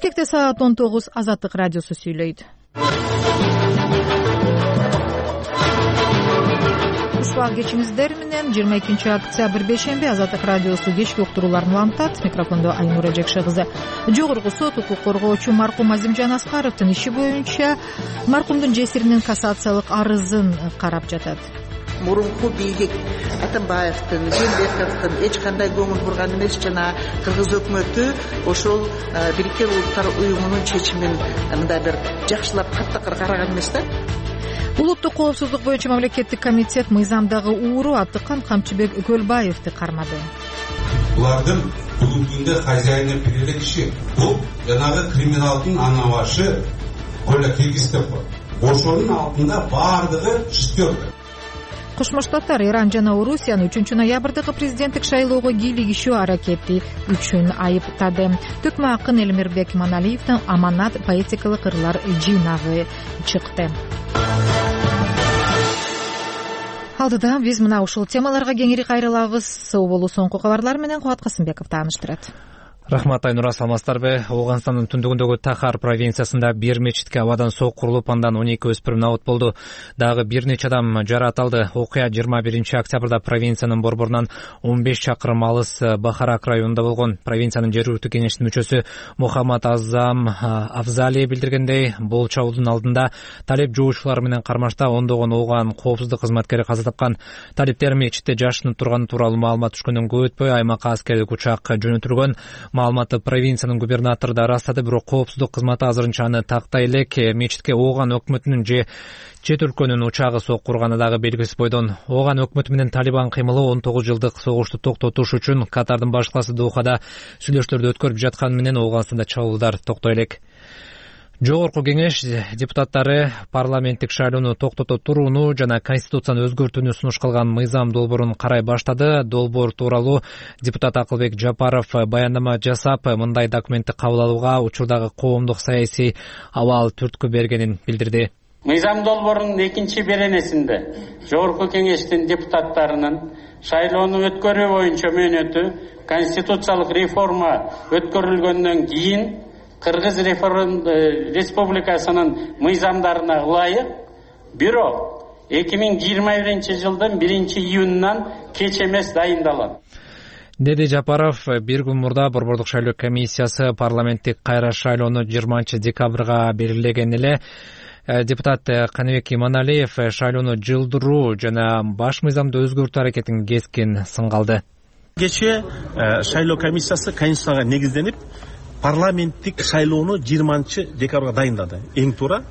Бишкекте саат 19 Азаттык радиосу сүйлөйт. Ушул кечиңиздер менен 22 октябрь бейшемби Азаттык радиосу кечки уктурууларын улантат. Микрофондо Айнура Жекше кызы. Жогорку сот укук коргоочу маркум Азимжан Аскаровдун иши боюнча маркумдун жесиринин кассациялык арызын карап жатат. Мурунку бийлик Атамбаевдин, Жээнбековдун эч кандай көңүл бурган эмес. Жана кыргыз өкмөтү ошол Бириккен Улуттар уюмунун чечимин мындай бир жакшылап каттак караган эмес да. Улуттук коопсуздук боюнча мамлекеттик комитет мыйзамдагы ууру Абдыкан Камчыбек Көлбаевди кармады. Булардын бүгүнкүндө хозяйны берилген иши бул жанагы криминалдын ана башы Коля Киргизов. Ошонун алдында бардыгы шестерка. Кошмо Штаттар Иран жана Орусияны 3 ноябрдагы президенттик шайлоого кийлигишүү аракети үчүн айыптады. Төкмө акын Элмирбек Маналиевдин Аманат поэтикалык ырлар жыйнагы чыкты. Алдыда биз мына ушул темаларга кеңири кайрылабыз. Сау болуу, соңку кабарлар менен Кубат Касымбеков тааныштырат. Рахмат Айнура, саламатсыздарбы? Ооганстандын түндүгүндөгү Тахар провинциясында бир мечитке абадан сок курулуп, андан 12 өспүрүм абыт болду. Дагы бир нече адам жаракат алды. Окуя 21 октябрда провинциянын борборунан 15 чакырым алыс Бахарак районунда болгон. Провинциянын жергиликтүү кеңештин мүчөсү Мухаммад Азам Афзали билдиргендей, бул чабуулдун алдында талеп жоочулар менен кармашта ондогон ооган коопсуздук кызматкери каза тапкан. Талептер мечитте жашынып турганы тууралуу маалымат түшкөндөн көп өтпөй аймакка аскердик учак жөнөтүлгөн. Маалыматты провинциянын губернатору да ырастады, бирок коопсуздук кызматы азырынча аны тактай элек. Мечитке ооган өкмөтүнүн же чет өлкөнүн учагы сок курганы дагы белгисиз бойдон. Ооган өкмөтү менен Талибан кыймылы 19 жылдык согушту токтотуш үчүн Катардын баш каласы Дохада сүйлөшүүлөрдү өткөрүп жатканы менен Ооганстанда чабуулдар токтой элек. Жогорку кеңеш депутаттары парламенттик шайлоону токтото турууну жана конституцияны өзгөртүүнү сунуш кылган мыйзам долбоорун карай баштады. Долбоор тууралуу депутат Акылбек Жапаров баяндама жасап, мындай документти кабыл алууга учурдагы коомдук саясий абал түрткү бергенин билдирди. Мыйзам долбоорунун 2-беренесинде жогорку кеңештин депутаттарынын шайлоону өткөрүү боюнча мөөнөтү конституциялык реформа өткөрүлгөндөн кийин Кыргыз Республикасынын мыйзамдарына ылайык, бирок 2021 жылдын 1-июнунан кеч эмес дайындалат, деди Жапаров. Бир күн мурда борбордук шайлоо комиссиясы парламенттик кайра шайлоону 20 декабрга белгилеген эле. Депутат Каныбек Иманалиев шайлоону жылдыруу жана баш мыйзамды өзгөртүү аракетин кескин сынга алды. Кечээ шайлоо комиссиясы конституцияга негизденип парламенттик шайлоону 20 декабрга дайындады. Эң туура.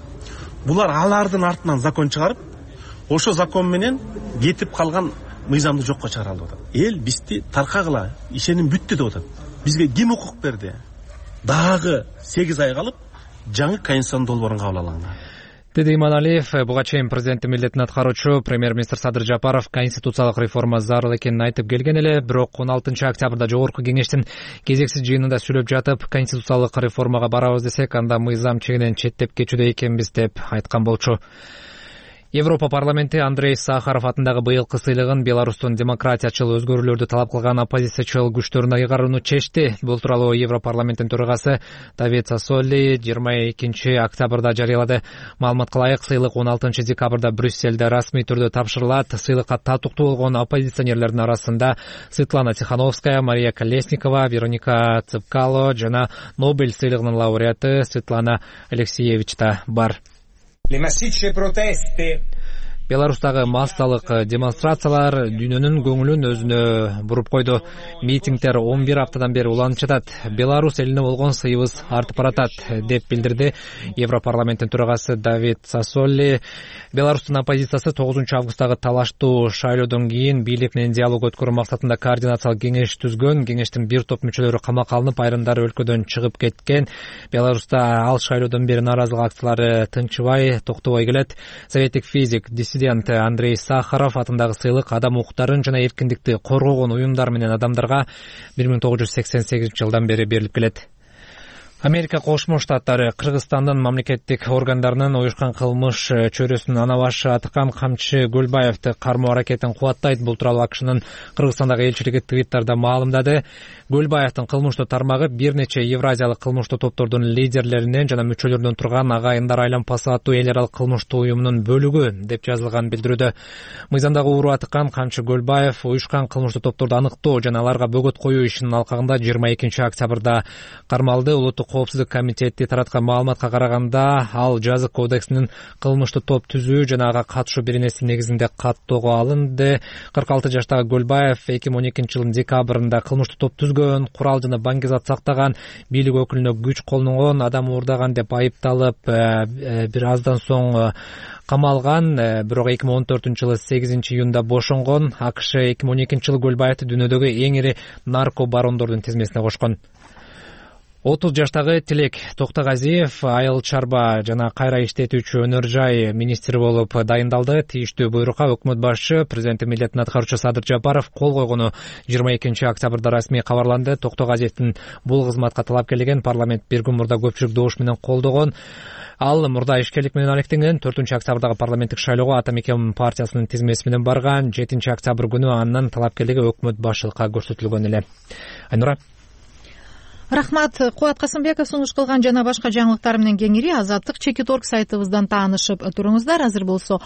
Булар алардын артынан закон чыгарып, ошо закон менен кетип калган мыйзамды жокко чыгара алып атат. Эл бизди таркагыла, ишеним бүттү деп атат. Бизге ким укук берди? Дагы 8 ай калып, жаңы конституциянын долбоорун кабыл алган. Деди Иманалиев. Буга чейин президенттин милдетин аткаруучу премьер-министр Садыр Жапаров конституциялык реформа зарыл экенин айтып келген эле, бирок 16 октябрда жогорку кеңештин кезексиз жыйынында сүйлөп жатып, конституциялык реформага барабыз десек, анда мыйзам чегинен четтеп кетүүдө экенбиз деп айткан болчу. Европа парламенти Андрей Сахаров атындагы быйылкы сыйлыгын Беларустун демократиячыл өзгөрүүлөрдү талап кылган оппозициячыл күчтөрүнө кайгарууну чечти. Бул тууралуу Европарламенттин төрагасы Давид Сассоли 22 октябрда жарыялады. Маалыматка ылайык, сыйлык 16 декабрда Брюссельде расмий түрдө тапшырылат. Сыйлыкка татыктуу болгон оппозиционерлердин арасында Светлана Тихановская, Мария Колесникова, Вероника Цыпкало жана Нобель сыйлыгынын лауреаты Светлана Алексеевич да бар. Le massicce proteste Беларустагы массалык демонстрациялар дүйнөнүн көңүлүн өзүнө буруп койду. Митингдер 11 аптадан бери уланып жатат. Беларусь элине болгон сыйыбыз артып баратат, деп билдирди Европарламенттин төрагасы Давид Сассоли. Беларустун оппозициясы 9 августтагы талаштуу шайлоодон кийин бийлик менен диалог өткөрүү максатында координациялык кеңеш түзгөн. Кеңештин бир топ мүчөлөрү камакка алынып, айрымдары өлкөдөн чыгып кеткен. Беларуста ал шайлоодон бери нааразылык акциялары тынчыбай, токтобой келет. Советтик физик диссидент Андрей Сахаров атындагы сыйлык адам укуктарын жана эркиндикти коргогон уюмдар менен адамдарга 1988 жылдан бери берилип келет. Америка Кошмо Штаттары Кыргызстандын мамлекеттик органдарынын уюшкан кылмыш чөйрөсүнүн ана башы Атыкан Камчы Гөлбаевди кармоо аракетин кубаттайт. Бул тууралуу АКШнын Кыргызстандагы элчилиги Твиттерде маалымдады. Гөлбаевдин кылмыштуу тармагы бир нече евразиялык кылмыштуу топтордун лидерлеринен жана мүчөлөрүнөн турган агайындар айланпасы аттуу эл аралык кылмыштуу уюмунун бөлүгү деп жазылган билдирүүдө. Мыйзамдагы ууру Атыкан Камчы Гөлбаев уюшкан кылмыштуу топторду аныктоо жана аларга бөгөт коюу ишинин алкагында 22 октябрда кармалды. Улуттук коопсуздук комитети тараткан маалыматка караганда, ал жазык кодексинин кылмыштуу топ түзүү жана ага катышуу беренеси негизинде каттоого алынды. 46 жаштагы Гөлбаев 2012 жылдын декабрында кылмыштуу топ түзгөн, курал жана баңгизат сактаган, бийлик өкүлүнө күч колдонгон, адам уурдаган деп айыпталып, бир аздан соң камалган. Бирок 2014 жылы 8 июнда бошонгон. АКШ 2012 жылы Гөлбаевди дүйнөдөгү эң ири нарко барондордун тизмесине кошкон. 30 жаштагы Тилек Токтогазиев айыл чарба жана кайра иштетүүчү өнөр жай министри болуп дайындалды. Тийиштүү буйрукка өкмөт башчы, президенттин милдетин аткаруучу Садыр Жапаров кол койгону 22 октябрда расмий кабарланды. Токтогазиевдин бул кызматка талапкерлигин парламент бир күн мурда көпчүлүк добуш менен колдогон. Ал мурда ишкерлик менен алектенген. 4 октябрдагы парламенттик шайлоого Ата Мекен партиясынын тизмеси менен барган. 7 октябрь күнү анын талапкерлиги өкмөт башчылыкка көрсөтүлгөн эле. Айнура. Рахмат. Кубат Касымбеков сунуш кылган жана башка жаңылыктар менен кеңири Азаттык Чекит.орг сайтыбыздан таанышып туруңуздар. Азыр болсо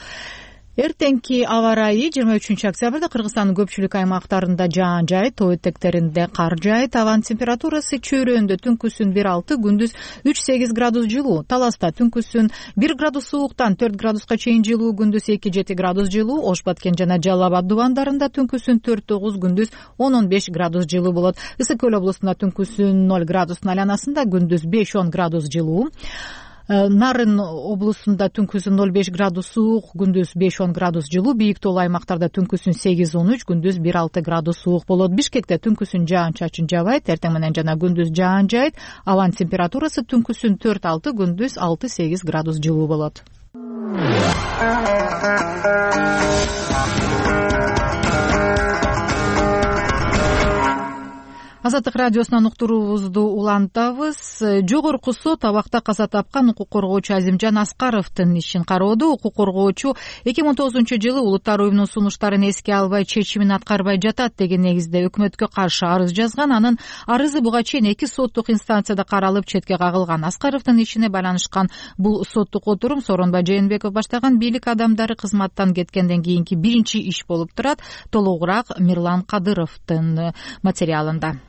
эртеңки аба ырайы 23 октябрда Кыргызстандын көпчүлүк аймактарында жаан жайыт, тоо этектеринде кар жайыт. Абанын температурасы чөйрөндө түнкүсүн 1-6, күндүз 3-8 градус жылуу. Таласта түнкүсүн 1 градус сууктан 4 градуска чейин жылуу, күндүз 2-7 градус жылуу. Ош Баткен жана Жалал Абад дубандарында түнкүсүн 4-9, күндүз 10-15 градус жылуу болот. Ысык Көл облусунда түнкүсүн 0 градустун айланасында, күндүз 5-10 градус жылуу. Нарын облусунда түнкүсүн 0-5 градус суук, күндүз 5-10 градус жылуу. Бийик тоолуу аймактарда түнкүсүн 8-13, күндүз 1-6 градус суук болот. Бишкекте түнкүсүн жаан-чачын жабайт, эртең менен жана күндүз жаан жайыт. Абанын температурасы түнкүсүн 4-6, күндүз 6-8 градус жылуу болот. Азаттык радиосунан уктуруубузду улантабыз. Жогорку сот абакта каза тапкан укук коргоочу Азимжан Аскаровдун ишин кароодо. Укук коргоочу 2009 жылы улуттар уюмунун сунуштарын эске албай, чечимин аткарбай жатат деген негизде өкмөткө каршы арыз жазган. Анын арызы буга чейин 2 соттук инстанцияда каралып, четке кагылган. Аскаровдун ишине байланышкан бул соттук отурум Сооронбай Жээнбеков баштаган бийлик адамдары кызматтан кеткенден кийинки биринчи иш болуп турат. Толугураак Мирлан Кадыровдун материалында.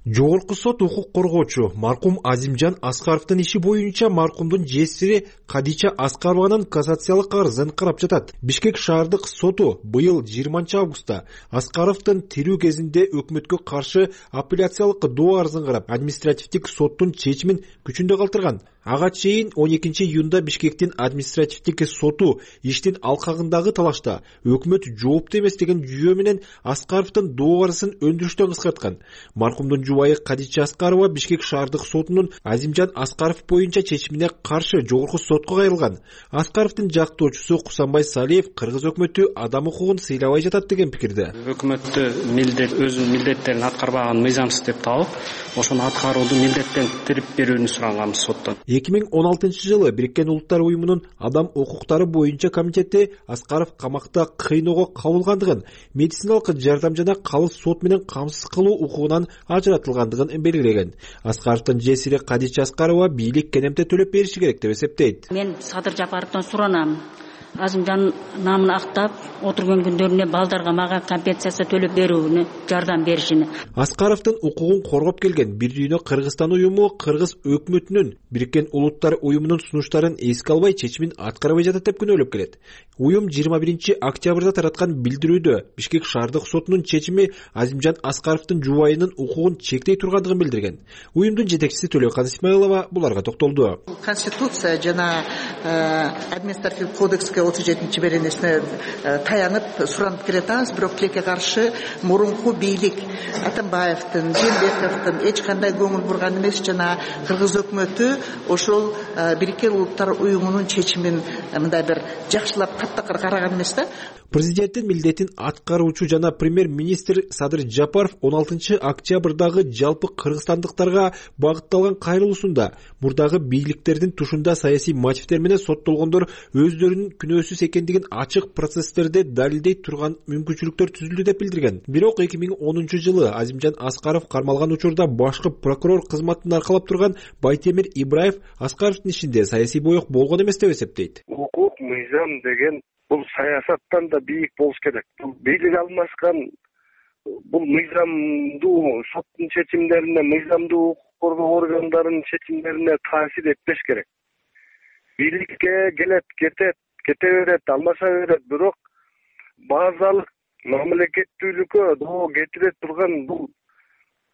Жогорку сот укук коргоочу маркум Азимжан Аскаровдун иши боюнча маркумдун жесири Кадича Аскарованын кассациялык арызын карап жатат. Бишкек шаардык соту быйыл 20 августта Аскаровдун тирүү кезинде өкмөткө каршы апелляциялык доо арызын карап, административдик соттун чечимин күчүндө калтырган. Ага чейин 12 июнда Бишкектин административдик соту иштин алкагындагы талашта өкмөт жоопту эмес деген жүйө менен Аскаровдун доо арызын өндүрүштөн кыскарткан. Маркумдун жубайы Кадича Аскарова Бишкек шаардык сотунун Азимжан Аскаров боюнча чечимине каршы жогорку сотко кайрылган. Аскаровдун жактоочусу Кусанбай Салиев кыргыз өкмөтү адам укугун сыйлабай жатат деген пикирде. Өкмөттү өзүнүн милдеттерин аткарбаган мыйзамсыз деп таап, ошону аткарууду милдеттентирип берүүнү суранганбыз соттон. 2016 жылы Бириккен Улуттар уюмунун адам укуктары боюнча комитети Аскаров камакта кыйноого кабылгандыгын, медициналык жардам жана калыс сот менен камсыз кылуу укугунан ажыратылгандыгын белгилеген. Аскаровдун жесири Кадича Аскарова бийлик кенемте төлөп бериши керек деп эсептейт. Мен Садыр Жапаровдон суранам. Азимжан намын актап отурган күндөрүнө балдарга мага компенсация төлөп берүүнү, жардам беришини. Аскаровдун укугун коргоп келген Бир дүйнө Кыргызстан уюму кыргыз өкмөтүнүн Бириккен Улуттар уюмунун сунуштарын эске албай, чечимин аткарбай жатат деп күнөөлөп келет. Уюм 21 октябрда тараткан билдирүүдө Бишкек шаардык сотунун чечими Азимжан Аскаровдун жубайынын укугун чектей тургандыгын билдирген. Уюмдун жетекчиси Төлөкан Исмаилова буларга токтолду. Конституция жана административдик кодекске 37 беренесине таянып суранып келатабыз, бирок тилекке каршы мурунку бийлик Атамбаевдин, Жээнбековдун эч кандай көңүл бурган эмес, жана кыргыз өкмөтү ошол Бириккен Улуттар уюмунун чечимин мындай бир жакшылап каттакыр караган эмес да. Президенттин милдетин аткаруучу жана премьер-министр Садыр Жапаров 16 октябрдагы жалпы кыргызстандыктарга багытталган кайрылуусунда мурдагы бийликтердин тушунда саясий мотивдер менен соттолгондор өздөрүнүн күнөөсүз экендигин ачык процесстерде далилдей турган мүмкүнчүлүктөр түзүлдү деп билдирген. Бирок 2010 жылы Азимжан Аскаров кармалган учурда башкы прокурор кызматын аркалап турган Байтемир Ибраев Аскаровдун ишинде саясий боек болгон эмес деп эсептейт. Укук, мыйзам деген бул саясаттан да бийик болуш керек. Бул бийлик алмашкан, бул мыйзамдуу соттун чечимдерине, мыйзамдуу укук коргоо органдарынын чечимдерине таасир этпеш керек. Бийликке келет, кете берет, алмаша берет, бирок базалык мамлекеттүүлүккө доо кетире турган бул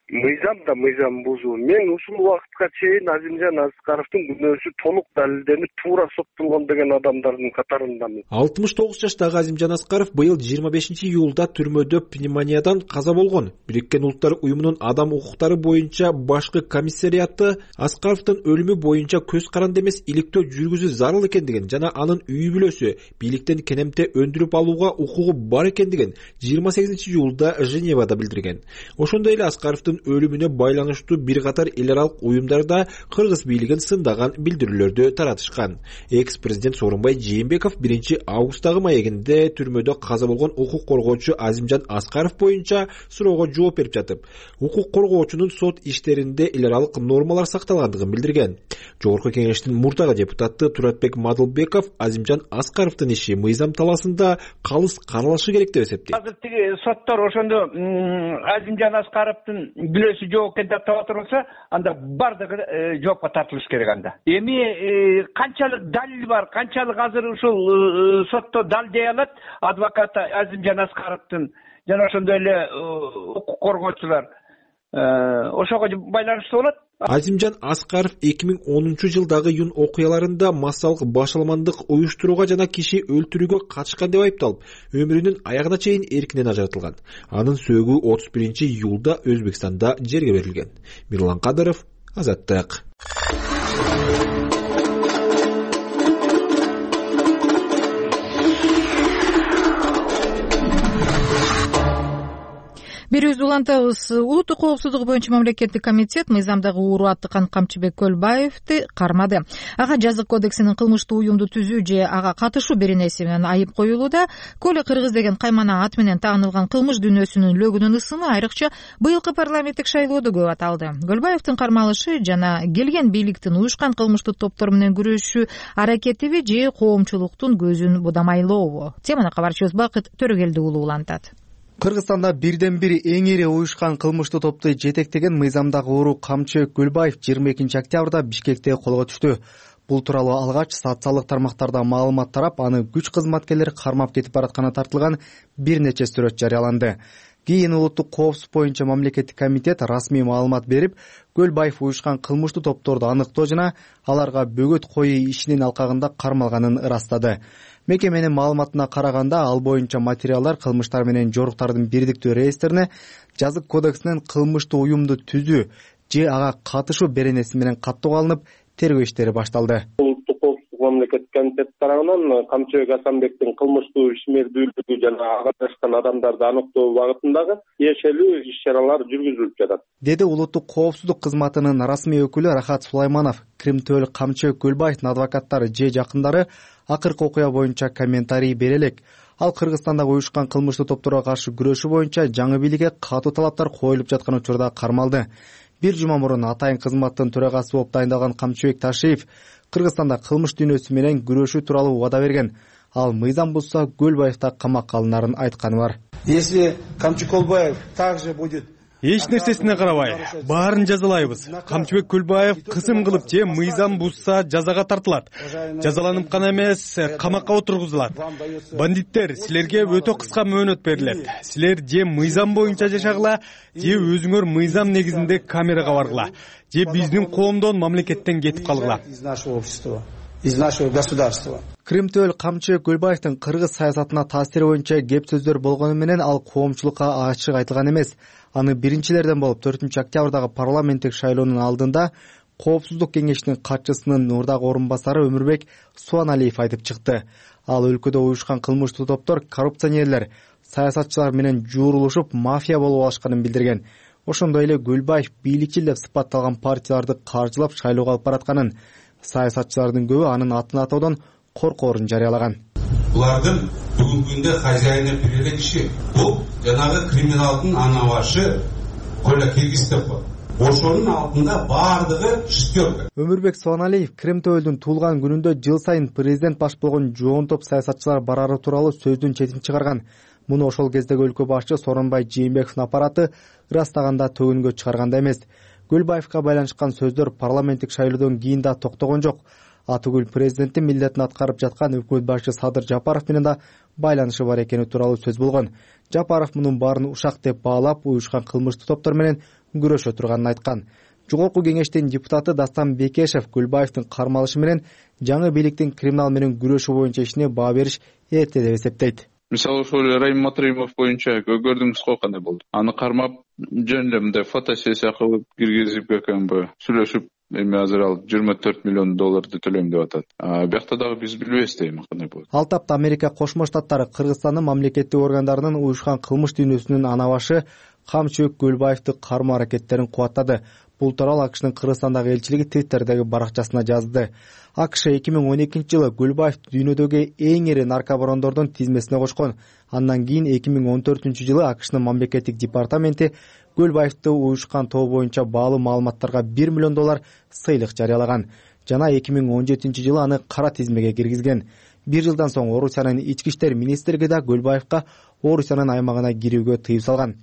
мыйзам да мыйзам бузуу. Мен ушул убакытка чейин Азимжан Аскаровдун күнөөсү толук далилденип туура соттолгон деген адамдардын катарындамын. 69 жаштагы Азимжан Аскаров быйыл 25 июлда түрмөдө пневмониядан каза болгон. Бириккен Улуттар уюмунун адам укуктары боюнча башкы комиссариаты Аскаровдун өлүмү боюнча көз каранды эмес иликтөө жүргүзүү зарыл экендигин жана анын үй бүлөсү бийликтен кенемте өндүрүп алууга укугу бар экендигин 28 июлда Женевада билдирген. Ошондой эле Аскаровдун өлүмүнө байланыштуу бир катар эл аралык уюмдарда кыргыз бийлигин сындаган билдирүүлөрдү таратышкан. Экс-президент Сооронбай Жээнбеков 1 августтагы маегинде түрмөдө каза болгон укук коргоочу Азимжан Аскаров боюнча суроого жооп берип жатып, укук коргоочунун сот иштеринде эл аралык нормалар сакталгандыгын билдирген. Жогорку кеңештин мурдагы депутаты Туратбек Мадылбеков Азимжан Аскаровдун иши мыйзам талаасында калыс каралышы керек деп эсептейт. Азыр тиги соттор ошондо Азимжан Аскаровдун бүлөсү жоопкер деп таба турса, анда бардыгы жоопко тартылыш керек анда. Эми канчалык далил бар, канчалык азыр ушул сотто далилдей алат адвокат Азимжан Аскаровдун жана ошондой эле укук коргоочулар. Ошого байланыштуу болот. Азимжан Аскаров 2010 жылдагы июнь окуяларында массалык башаламандык уюштурууга жана киши өлтүрүүгө катышкан деп айыпталып, өмүрүнүн аягына чейин эркинен ажыратылган. Анын сөөгү 31 июлда Өзбекстанда жерге берилген. Мирлан Кадыров, Азаттык. Берүүбүздү улантабыз. Улуттук коопсуздук боюнча мамлекеттик комитет мыйзамдагы ууру аттыкан Камчыбек Көлбаевди кармады. Ага жазык кодексинин кылмыштуу уюмду түзүү же ага катышуу беренеси менен айып коюлууда. Көлө Кыргыз деген каймана ат менен таанылган кылмыш дүйнөсүнүн лөгүнүн ысымы айрыкча быйылкы парламенттик шайлоодо көп аталды. Көлбаевдин кармалышы жана келген бийликтин уюшкан кылмыштуу топтор менен күрөшүү аракетиби же коомчулуктун көзүн будамайлообу? Теманы кабарчыбыз Бакыт Төрөгелди уулу улантат. Кыргызстанда бирден бир эң ири уюшкан кылмыштуу топту жетектеген мыйзамдагы ууру Камчыбек Көлбаев 22 октябрда Бишкекте колго түштү. Бул тууралуу алгач социалдык тармактарда маалымат тарап, аны күч кызматкерлери кармап кетип баратканы тартылган бир нече сүрөт жарыяланды. Кийин улуттук коопсуздук боюнча мамлекеттик комитет расмий маалымат берип, Көлбаев уюшкан кылмыштуу топторду аныктоо жана аларга бөгөт коюу ишинин алкагында кармалганын ырастады. Мекеменин маалыматына караганда, ал боюнча материалдар кылмыштар менен жоруктардын бирдиктүү реестрине жазык кодексинин кылмыштуу уюмду түзүү же ага катышуу беренеси менен каттоого алынып, тергөө иштери башталды. Улуттук коопсуздук мамлекеттик комитет тарабынан Камчыбек Асанбектин кылмыштуу ишмердүүлүгү жана ага катышкан адамдарды аныктоо багытындагы тиешелүү иш-чаралар жүргүзүлүп жатат, деди улуттук коопсуздук кызматынын расмий өкүлү Рахат Сулайманов. Кримтөөл Камчыбек Көлбаевдин адвокаттары же жакындары акыркы окуя боюнча комментарий бере элек. Ал Кыргызстандагы уюшкан кылмыштуу топторго каршы күрөшүү боюнча жаңы бийликке катуу талаптар коюлуп жаткан учурда кармалды. Бир жума мурун атайын кызматтын төрагасы болуп дайындалган Камчыбек Ташиев Кыргызстанда кылмыш дүйнөсү менен күрөшүү тууралуу убада берген. Ал мыйзам бузса Көлбаев да камакка алынарын айтканы бар. Если Камчыбек Көлбаев также будет эч нерсесине карабай, баарын жазалайбыз. Камчыбек Көлбаев кысым кылып же мыйзам бузса жазага тартылат. Жазаланып гана эмес, камакка отургузулат. Бандиттер, силерге өтө кыска мөөнөт берилет. Силер же мыйзам боюнча жашагыла, же өзүңөр мыйзам негизинде камерага баргыла, же биздин коомдон, мамлекеттен кетип калгыла. Из нашего государства. Кримтөөл Камчыбек Көлбаевдин кыргыз саясатына таасири боюнча кеп сөздөр болгону менен ал коомчулукка ачык айтылган эмес. Аны биринчилерден болуп 4 октябрдагы парламенттик шайлоонун алдында Коопсуздук кеңешинин катчысынын мурдагы орун басары Өмүрбек Суаналиев айтып чыкты. Ал өлкөдө уюшкан кылмыштуу топтор коррупционерлер, саясатчылар менен жуурулушуп мафия болуп алышканын билдирген. Ошондой эле Гүлбаев бийликчил деп сыпатталган партияларды каржылап шайлоого алып баратканын, саясатчылардын көбү анын атын атоодон коркоорун жарыялаган. Булардын бүгүнкү күндө хозяйына береле киши. Бул жанагы криминалдын анабашы Коля Киргизстепов. Ошонун алдында бардыгы шестерка. Өмүрбек Суаналиев Кремтөөлдүн туулган күнүндө жыл сайын президент баш болгон жоон топ саясатчылар барары тууралуу сөздүн четин чыгарган. Муну ошол кездеги өлкө башчы Сооронбай Жээнбековдун аппараты ырастаганда төгүнгө чыгарганда эмес. Гүлбаевка байланышкан сөздөр парламенттик шайлоодон кийин да токтогон жок. Атыгүл президенттин милдетин аткарып жаткан өкмөт башчы Садыр Жапаров менен да байланышы бар экени тууралуу сөз болгон. Жапаров мунун баарын ушак деп баалап, уюшкан кылмыштуу топтор менен күрөшө турганын айткан. Жогорку кеңештин депутаты Дастан Бекешев Гүлбаевдин кармалышы менен жаңы бийликтин криминал менен күрөшүү боюнча ишине баа бериш эрте деп эсептейт. Мисалы ошол Райым Матримов боюнча көрдүңүз го кандай болду. Аны кармап жөн эле мындай фотосессия кылып киргизип экенби, сүйлөшүп, эми азыр ал $24 миллион төлөйм деп атат. Биякта дагы биз билбейбиз эми кандай болот. Ал тапта Америка Кошмо Штаттары Кыргызстандын мамлекеттик органдарынын уюшкан кылмыш дүйнөсүнүн анабашы Камчыбек Гүлбаевди кармоо аракеттерин кубаттады. Бул тууралуу АКШнын Кыргызстандагы элчилиги Twitterдеги баракчасына жазды. АКШ 2012-жылы Гүлбаевди дүйнөдөгү эң ири наркобарондордун тизмесине кошкон. Андан кийин 2014-жылы АКШнын мамлекеттик департаменти Гүлбаевди уюшкан тобу боюнча баалуу маалыматтарга $1 миллион сыйлык жарыялаган. Жана 2017-жылы аны кара тизмеге киргизген. Bir жылдан соң Орусиянын ички иштер министрлиги да Гүлбаевка Орусиянын аймагына кирүүгө тыюу салган.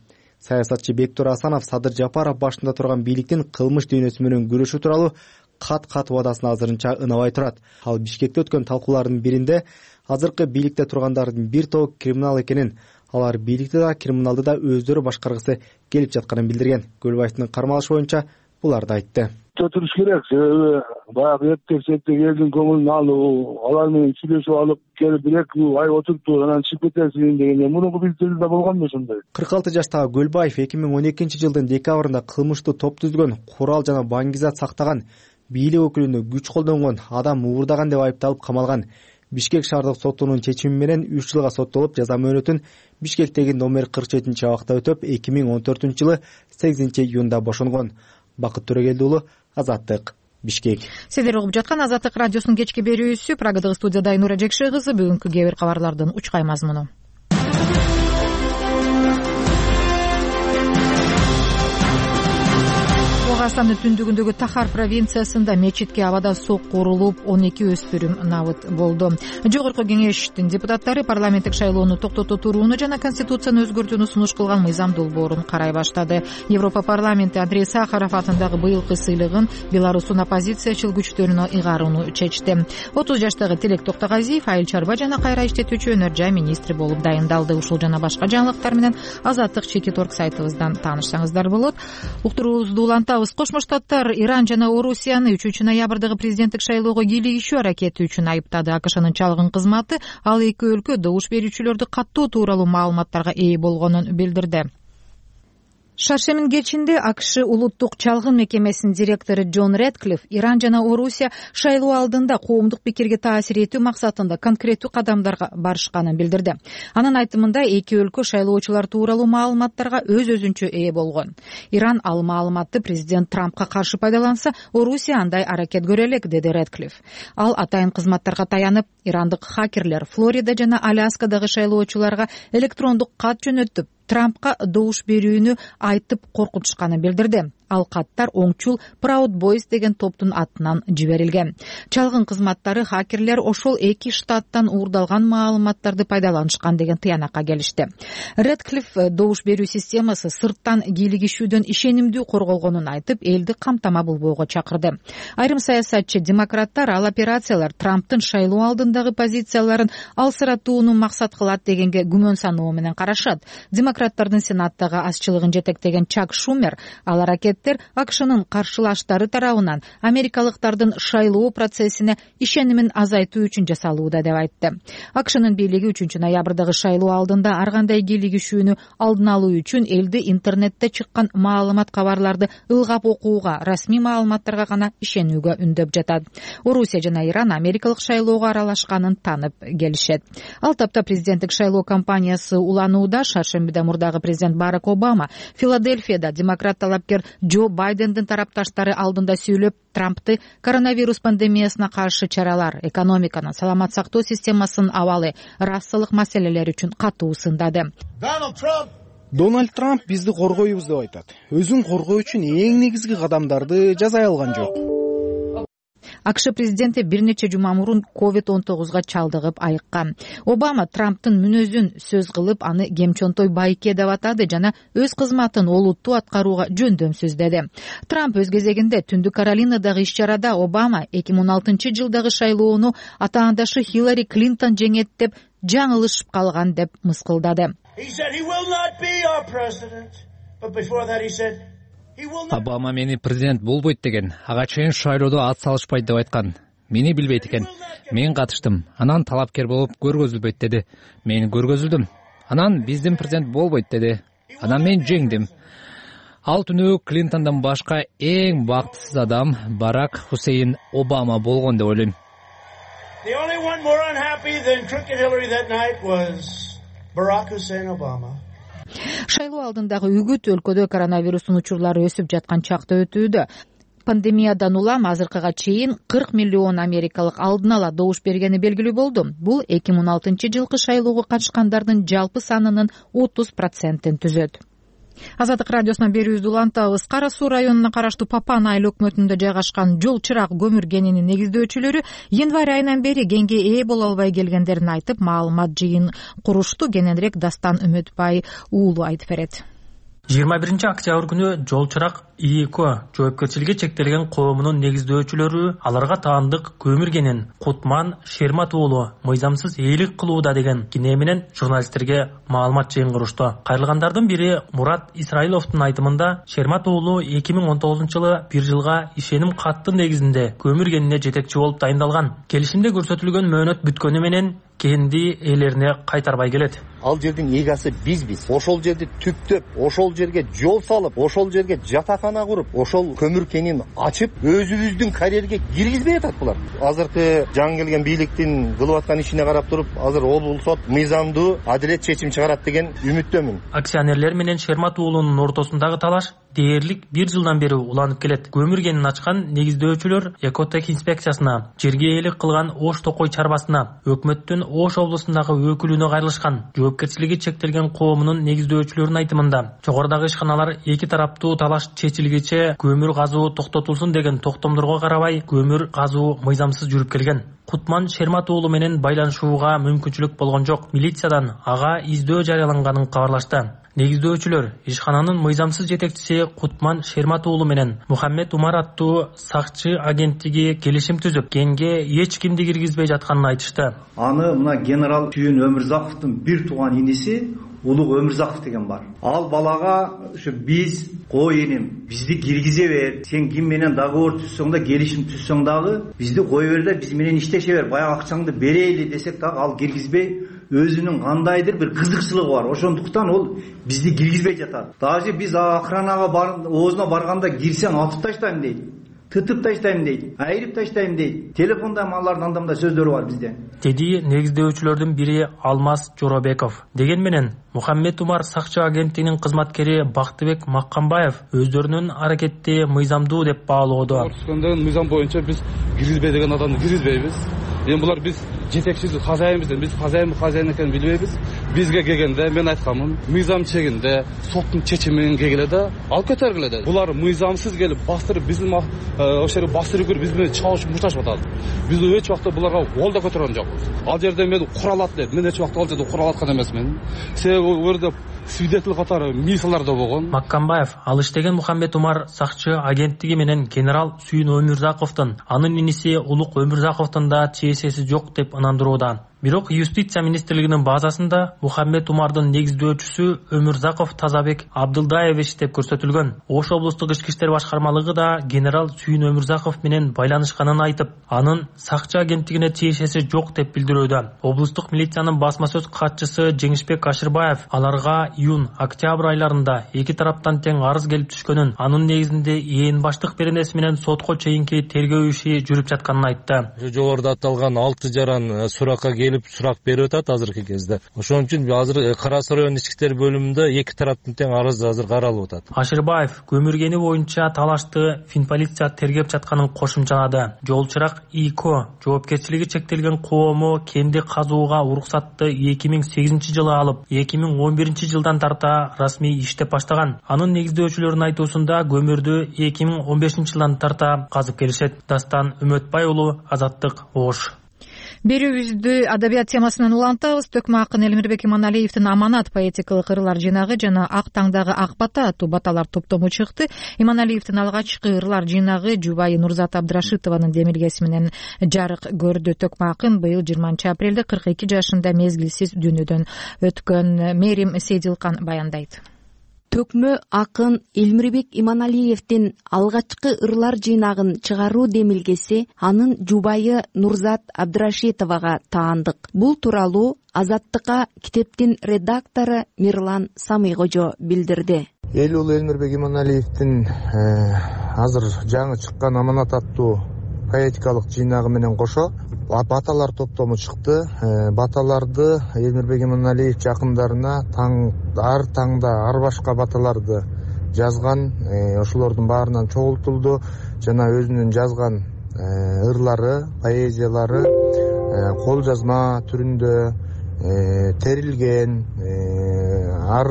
Саясатчы Бектур Асанов Садыр Жапаров башында турган бийликтин кылмыш дүйнөсү менен күрөшүү тууралуу кат убадасына азырынча ынабай турат. Ал Бишкекте өткөн талкуулардын биринде азыркы бийликте тургандардын бир тобу криминал экенин, алар бийликти да криминалды да өздөрү башкаргысы келип жатканын билдирген. Гүлбаевдин кармалышы боюнча буларды айтты. Туруш керек, себеби баягы эптесекте элдин көңүлүн алуу, алар менен сүйлөшүп алып келип бир-эки ай отуруптур, анан чыгып кетесиң дегенде мурунку биздерде болгонду ошондой. 46 жаштагы Гүлбаев 2012-жылдын декабрында кылмыштуу топ түзгөн, курал жана баңгизат сактаган, бийлик өкүлүнө күч колдонгон, адам уурдаган деп айыпталып камалган. Бишкек шаардык сотунун чечими менен 3 жылга соттолуп, жаза мөөнөтүн Бишкектеги номер 47-абакта өтөп, 2014-жылы 8-июнда бошонгон. Бакыт Төрөгелди уулу, Азаттык, Бишкек. Сиздер угуп жаткан Азаттык радиосунун кечки берүүсү. Прагадагы студияда Айнура Жекше кызы. Бүгүнкү кээ бир кабарлардын учкай мазмуну. Кыргызстандын түндүгүндөгү Тахар провинциясында мечитке абада сокку урулуп, 12 өспүрүм набыт болду. Жогорку кеңештин депутаттары парламенттик шайлоону токтото турууну жана конституцияны өзгөртүүнү сунуш кылган мыйзам долбоорун карай баштады. Европа парламенти Андрей Сахаров атындагы быйылкы сыйлыгын Беларустун оппозициячыл күчтөрүнө ыйгарууну чечти. 30 жаштагы Тилек Токтогазиев айыл чарба жана кайра иштетүүчү өнөр жай министри болуп дайындалды. Ушул жана башка жаңылыктар менен Азаттык Чекит.орг сайтыбыздан таанышсаңыздар болот. Уктуруубузду улантабыз. Кошмо Штаттар Иран жана Орусияны 3-ноябрдагы президенттик шайлоого кийлигишүү аракети үчүн айыптады. АКШнын чалгын кызматы ал эки өлкө добуш берүүчүлөрдү каттоо тууралуу маалыматтарга ээ болгонун билдирди. Шаршемин кечинде АКШ улуттук чалгын мекемесинин директору Джон Редклифф Иран жана Орусия шайлоо алдында коомдук пикирге таасир этүү максатында конкреттүү кадамдарга барышканын билдирди. Анын айтымында эки өлкө шайлоочулар тууралуу маалыматтарга өз-өзүнчө ээ болгон. Иран ал маалыматты президент Трампка каршы пайдаланса, Орусия андай аракет көрө элек, деди Редклифф. Ал атайын кызматтарга таянып, ирандык хакерлер Флорида жана Аляскадагы шайлоочуларга электрондук кат жөнөтүп, Трампка добуш берүүнү айтып коркутушканын билдирди. Ал каттар оңчул Proud Boys деген топтун атынан жиберилген. Чалгын кызматтары хакерлер ошол эки штаттан уурдалган маалыматтарды пайдаланышкан деген тыянакка келишти. Редклифф добуш берүү системасы сырттан кийлигишүүдөн ишенимдүү корголгонун айтып, элди камтама болбоого чакырды. Айрым саясатчы демократтар ал операциялар Трамптын шайлоо алдындагы позицияларын алсыратууну максат кылат дегенге күмөн саноо менен карашат. Демократтардын сенаттагы азчылыгын жетектеген Чак Шумер ал аракет эксперттер АКШнын каршылаштары тарабынан америкалыктардын шайлоо процессине ишенимин азайтуу үчүн жасалууда деп айтты. АКШнын бийлиги 3-ноябрдагы шайлоо алдында ар кандай кийлигишүүнү алдын алуу үчүн элди интернетте чыккан маалымат кабарларды ылгап окууга, расмий маалыматтарга гана ишенүүгө үндөп жатат. Орусия жана Иран америкалык шайлоого аралашканын танып келишет. Ал тапта президенттик шайлоо кампаниясы уланууда. Шаршембиде мурдагы президент Барак Обама Филадельфияда демократ талапкер Джо Байдендин тарапташтары алдында сүйлөп, Трампты коронавирус пандемиясына каршы чаралар, экономиканын, саламат сактоо системасынын абалы, расалык маселелер үчүн катуу сындады. Дональд Трамп бизди коргойбуз деп айтат. Өзүн коргоо үчүн эң негизги кадамдарды жасай алган жок. АКШ президенти бир нече жума мурун COVID-19 чалдыгып айыккан. Обама Трамптын мүнөзүн сөз кылып, аны кемчонтой байке деп атады жана өз кызматын олуттуу аткарууга жөндөм сөздөдү. Трамп өз кезегинде Түндүк Каролинадагы иш-чарада Обама 2016-жылдагы шайлоону атаандашы Хиллари Клинтон жеңет деп жаңылышып калган деп мыскылдады. Обама мени президент болбойт деген, ага чейин шайлоодо ат салышпайт деп айткан. Мени билбейт экен. Мен катыштым. Анан талапкер болуп көргөзүлбөйт деди. Мен көргөзүлдүм. Анан биздин президент болбойт деди. Анан мен жеңдим. Ал түнү Клинтондон башка эң бактысыз адам Барак Хусейн Обама болгон деп ойлойм. Шайлоо алдындагы үгүт өлкөдө коронавирустун учурлары өсүп жаткан чакта өтүүдө. Пандемиядан улам азыркыга чейин 40 миллион америкалык алдын ала добуш бергени белгилүү болду. Бул 2016-жылкы шайлоого катышкандардын жалпы санынын 30%-ин түзөт. Азаттык радиосунан берүүбүздү улантабыз. Кара Суу районуна караштуу Папан айыл өкмөтүндө жайгашкан жол чырак көмүр кенинин негиздөөчүлөрү январь айынан бери кенге ээ боло албай келгендерин айтып, маалымат жыйын курушту. Кененирээк Дастан Үмөтбай уулу айтып берет. 21-октябрь күнү жол чырак ИЭКО жоопкерчилиги чектелген коомунун негиздөөчүлөрү аларга таандык көмүр кенин Кутман Шермат уулу мыйзамсыз ээлик кылууда деген кине менен журналисттерге маалымат жыйын курушту. Кайрылгандардын бири Мурат Исраиловдун айтымында Шермат уулу 2019-жылы 1 жылга ишеним каттын негизинде көмүр кенине жетекчи болуп дайындалган. Келишимде көрсөтүлгөн мөөнөт бүткөнү менен кенди ээлерине кайтарбай келет. Ал жердин эгасы бизбиз. Ошол жерди түптөп, ошол жерге жол салып, ошол жерге жатакана куруп, ошол көмүр кенин ачып, өзүбүздүн карьерге киргизбей атат булар. Азыркы жаңы келген бийликтин кылып аткан ишине карап туруп, азыр облус сот мыйзамдуу адилет чечим чыгарат деген үмүттөмүн. Акционерлер менен Шермат уулунун ортосундагы талаш дээрлик 1 жылдан бери уланып келет. Көмүр кенин ачкан негиздөөчүлөр Экотек инспекциясына, жерге ээлик кылган Ош Токой чарбасына, өкмөттүн Ош облусундагы өкүлүнө кайрылышкан. Жоопкерчилиги чектелген коомунун негиздөөчүлөрүнүн айтымында, жогорудагы ишканалар эки тараптуу талаш чечилгиче көмүр казуу токтотулсун деген токтомдорго карабай, көмүр казуу мыйзамсыз жүрүп келген. Кутман Шермат уулу менен байланышууга мүмкүнчүлүк болгон жок. Милициядан ага издөө жарыяланганын кабарлашты. Негиздөөчүлөр ишкананын мыйзамсыз жетекчиси Кутман Шермат уулу менен Мухаммед Умар аттуу сакчы агенттиги келишим түзүп, кенге эч кимди киргизбей жатканын айтышты. Аны мына генерал Түйүн Өмүрзаковдун бир тууган иниси Улуг Өмүрзаков деген бар. Ал балага ушу биз кой энем, бизди киргизе бер. Сен ким менен договор түзсөң да, келишим түзсөң дагы, бизди кой бер да, биз менен иштеше бер. Баягы акчаңды берейли десек дагы ал киргизбей, өзүнүн кандайдыр бир кызыкчылыгы бар. Ошондуктан ол бизди киргизбей жатат. Даже биз охранага оозуна барганда кирсең атып таштайм дейт. Тытып таштайм дейт, айрып таштайм дейт. Телефонда малардын андамда сөздөрү бар бизде. Деди негиздөөчүлөрдүн бири Алмаз Жоробеков. Деген менен Мухаммед Умар сакчы агенттигинин кызматкери Бактыбек Маккамбаев өздөрүнүн аракетти мыйзамдуу деп баалоодо. Мыйзам боюнча биз киргизбей деген адамды киргизбейбиз. Эми булар биз жетекчиси хозяйынбыз, биз хозяин экенин билбейбиз. Бизге келгенде мен айтканмын, мыйзам чегинде соттун чечимин келгиле да алып кетергиле да. Булар мыйзамсыз келип бастырып биздин ошол жерге бастырып кирип биз менен чабышып мушташып атат. Биз эч убакта буларга кол да көтөргөн жокпуз. Ал жерде мен куралат дедим. Мен эч убакта ал жерде куралаткан эмесмин. Себеби ал жерде свидетель катары мисалар да болгон. Маккамбаев ал иштеген Мухаммед Умар сакчы агенттиги менен генерал Сүйүн Өмүрзаковдун, анын иниси Улук Өмүрзаковдун да чейсеси жок деп ынандырууда. Бирок юстиция министрлигинин базасында Мухаммед Умардын негиздөөчүсү Өмүрзаков Тазабек Абдылдаевич деп көрсөтүлгөн. Ош облустук ички иштер башкармалыгы да генерал Сүйүн Өмүрзаков менен байланышканын айтып, анын сакчы агенттигине тиешеси жок деп билдирүүдө. Облустук милициянын басма сөз катчысы Жеңишбек Ашырбаев аларга июнь-октябрь айларында эки тараптан тең арыз келип түшкөнүн, анын негизинде ээн баштык беренеси менен сотко чейинки тергөө иши жүрүп жатканын айтты. Жогоруда аталган 6 жаран суракка келип сурак берип атат азыркы кезде. Ошон үчүн азыр Кара Суу районунун ички иштер бөлүмүндө эки тараптын тең арызы азыр каралып атат. Ашырбаев көмүргени боюнча талашты Финполиция тергеп жатканын кошумчалады. Жолчурак ИКО жоопкерчилиги чектелген коому кенди казууга уруксатты 2008-жылы алып, 2011-жылдан тарта расмий иштеп баштаган. Анын негиздөөчүлөрүнүн айтуусунда көмүрдү 2015-жылдан тарта казып келишет. Дастан Үмөтбай уулу, Азаттык, Ош. Берүүбүздү адабият темасынан улантабыз. Төкмө акын Элмирбек Иманалиевдин Аманат поэтикалык ырлар жыйнагы жана Ак таңдагы ак бата аттуу баталар топтому чыкты. Иманалиевдин алгачкы ырлар жыйнагы жубайы Нурзат Абдрашитованын демилгеси менен жарык көрдү. Төкмө акын быйыл 20-апрелде 42 жашында мезгилсиз дүйнөдөн өткөн. Мерим Сейдилкан баяндайт. Төкмө акын Элмирбек Иманалиевдин алгачкы ырлар жыйнагын чыгаруу демилгеси анын жубайы Нурзат Абдрашитовага таандык. Бул тууралуу Азаттыкка китептин редактору Мирлан Самыйкожо билдирди. Эл улу Элмирбек Иманалиевдин азыр жаңы чыккан Аманат аттуу поэтикалык жыйнагы менен кошо баталар топтому чыкты. Баталарды Элмирбек Иманалиев жакындарына ар таңда ар башка баталарды жазган, ошолордун баарынан чогултулду жана өзүнүн жазган ырлары, поэзиялары кол жазма түрүндө терилген, ар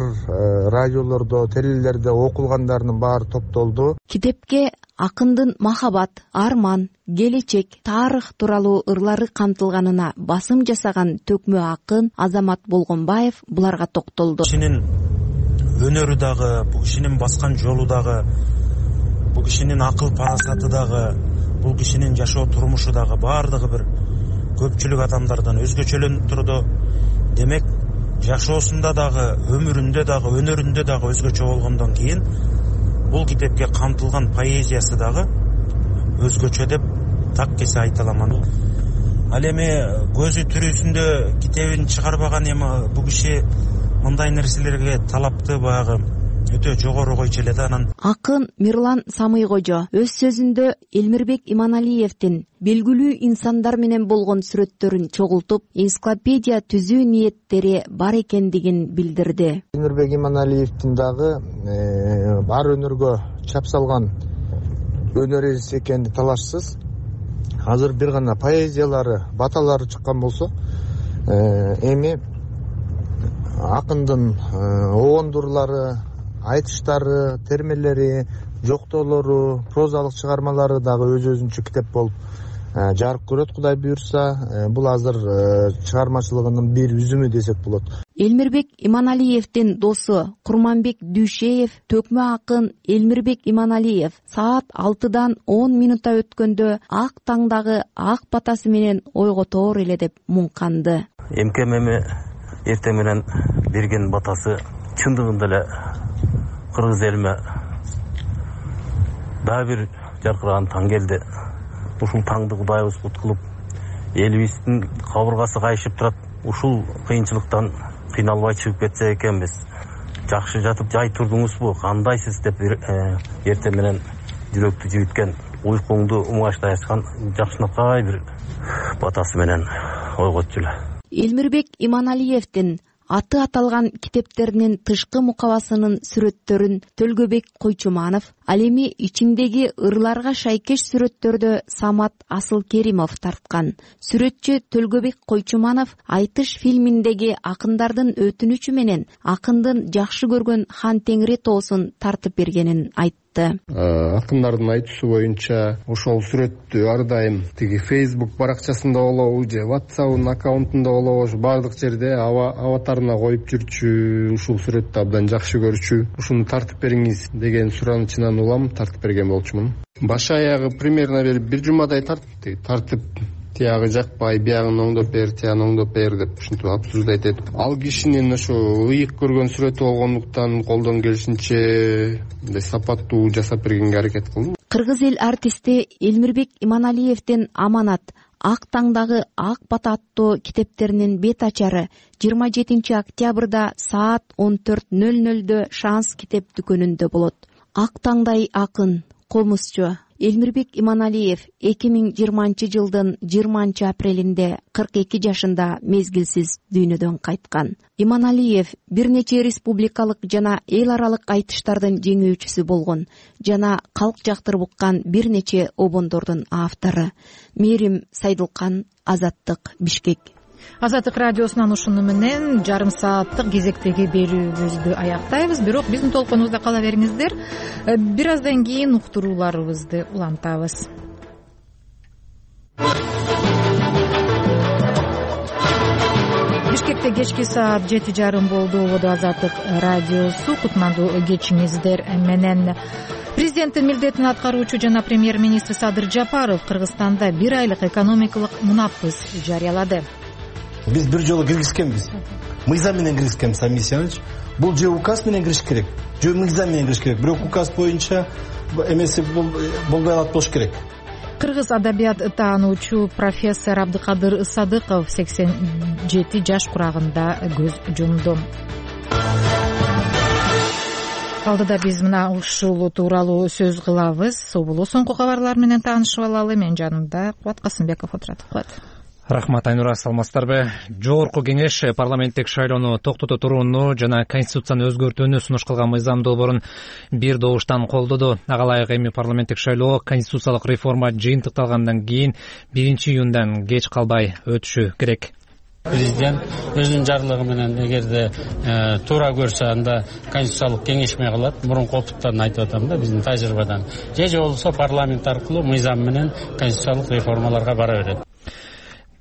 радиолордо, телелерде окулгандарынын баары топтолду. Китепке акындын махабат, арман, келечек, тарых тууралуу ырлары камтылганына басым жасаган төкмө акын Азамат Болгонбаев буларга токтолду. Кишинин өнөрү дагы, бул кишинин баскан жолу дагы, бул кишинин акыл парасаты дагы, бул кишинин жашоо турмушу дагы баардыгы бир көпчүлүк адамдардан өзгөчөлөнүп турду. Демек, жашоосунда дагы, өмүрүндө дагы, өнөрүндө дагы өзгөчө болгондон кийин бул китепке камтылган поэзиясы дагы өзгөчө деп так кесе айта аламан. Ал эми көзү тирүүсүндө китебин чыгарбаган эми бул киши мындай нерселерге талапты баягы өтө жогору койчу эле да. Анан акын Мирлан Самыйкожо өз сөзүндө Элмирбек Иманалиевдин белгилүү инсандар менен болгон сүрөттөрүн чогултуп, энциклопедия түзүү ниеттери бар экендигин билдирди. Элмирбек Иманалиевдин дагы бар өнөргө чап салган өнөр ээси экени талашсыз. Азыр бир гана поэзиялары, баталары чыккан болсо, эми акындын огондурлары, айтыштары, термелери, жоктоолору, прозалык чыгармалары дагы өз-өзүнчө китеп болуп жарык көрөт, Кудай буюрса. Бул азыр чыгармачылыгынын бир үзүмү десек болот. Элмирбек Иманалиевдин досу Курманбек Дүйшеев төкмө акын Элмирбек Иманалиев саат 6-дан 10 минутта өткөндө ак таңдагы ак батасы менен ойготоор эле деп муңканды. Эмкем эми эртең менен берген батасы чындыгында эле кыргыз элиме дагы бир жаркыраган таң келди. Ушул таңды Кудайыбыз кут кылып, элибиздин кабыргасы кайышып турат. Ушул кыйынчылыктан кыйналбай чыгып кетсе экенбиз. Жакшы жатып жай турдуңузбу? Кандайсыз деп эртең менен жүрөктү жибиткен, уйкуңду уңаштай ачкан жакшынакай бир батасы менен ойготчу эле. Элмирбек Иманалиевдин аты аталган китептеринин тышкы мукабасынын сүрөттөрүн Төлгөбек Койчуманов, ал эми ичиңдеги ырларга шайкеш сүрөттөрдө Самат Асылкеримов тарткан. Сүрөтчү Төлгөбек Койчуманов Айтыш фильминдеги акындардын өтүнүчү менен акындын жакшы көргөн Хан Теңири тоосун тартып бергенин айтты. Акындардын айтуусу боюнча ошол сүрөттү ар дайым тиги Facebook баракчасында болобу же WhatsApp аккаунтунда болобу баардык жерде аватарына коюп жүрчү, ушул сүрөттү абдан жакшы көрчү. Ушуну тартып бериңиз деген суранычынан улам тартып берген болчумун. Баш аягы примерно бир жумадай тартып тиягы жакпай, биягын оңдоп бер, тиягын оңдоп бер деп ушинтип обсуждать этип, ал кишинин ошо ыйык көргөн сүрөтү болгондуктан колдон келишинче мындай сапаттуу жасап бергенге аракет кылдым. Кыргыз эл артисти Элмирбек Иманалиевдин Аманат, Ак таңдагы Ак бата аттуу китептеринин бет ачары 27 октябрда саат 14:00 Шанс китеп дүкөнүндө болот. Ак таңдай акын, комузчу Элмирбек Иманалиев 2020 жылдын 20 апрелинде 42 жашында мезгилсиз дүйнөдөн кайткан. Иманалиев бир нече республикалык жана эл аралык айтыштардын жеңүүчүсү болгон жана калк жактырып уккан бир нече обондордун автору. Мээрим Сайдылкан, Азаттык, Бишкек. Азаттык радиосунан ушуну менен жарым сааттык кезектеги берүүбүздү аяктайбыз. Бирок биздин толкунубузда кала бериңиздер. Бир аздан кийин уктурууларыбызды улантабыз. Бишкекте кечки саат 7:30 болду. Ободо Азаттык радиосу кутмандуу кечиңиздер менен. Президенттин милдетин аткаруучу жана премьер-министр Садыр Жапаров Кыргызстанда бир айлык экономикалык мунапыс жарыялады. Биз бир жолу киргизкенбиз. Мыйзам менен киргизкенбиз, Амисиянович. Бул же указ менен кириш керек, же мыйзам менен кириш керек. Бирок указ боюнча эмеси болбой калат болуш керек. Кыргыз адабият таануучу профессор Абдыкадыр Садыков 87 жаш курагында көз жумду. Алдыда биз мына ушул тууралуу сөз кылабыз. Собулу соңку кабарлар менен таанышып алалы. Мен жанымда Кубат Касымбеков отурат. Рахмат, Айнура, саламатсыздарбы? Жогорку кеңеш парламенттик шайлоону токтото турууну жана конституцияны өзгөртүүнү сунуш кылган мыйзам долбоорун бир добуштан колдоду. Ага ылайык эми парламенттик шайлоо конституциялык реформа жыйынтыкталгандан кийин 1-июндан кеч калбай өтүшү керек. Президент өзүнүн жарлыгы менен эгерде туура көрсө анда конституциялык кеңешме кылат. Мурунку опыттан айтып атам да, биздин тажрыйбадан. Же болбосо парламент аркылуу мыйзам менен конституциялык реформаларга бара берет.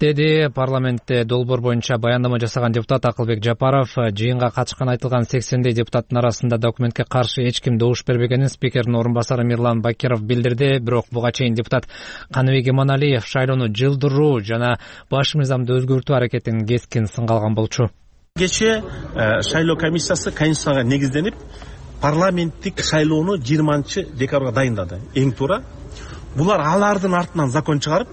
Деди парламентте долбоор боюнча баяндама жасаган депутат Акылбек Жапаров. Жыйынга катышкан айтылган 80 депутаттын арасында документке каршы эч ким добуш бербегенин спикердин орун басары Мирлан Бакиров билдирди. Бирок буга чейин депутат Каныбек Иманалиев шайлоону жылдыруу жана баш мыйзамды өзгөртүү аракетин кескин сынга алган болчу. Кече шайлоо комиссиясы конституцияга негизденип парламенттик шайлоону 20 декабрга дайындады. Эң туура. Булар алардын артынан закон чыгарып,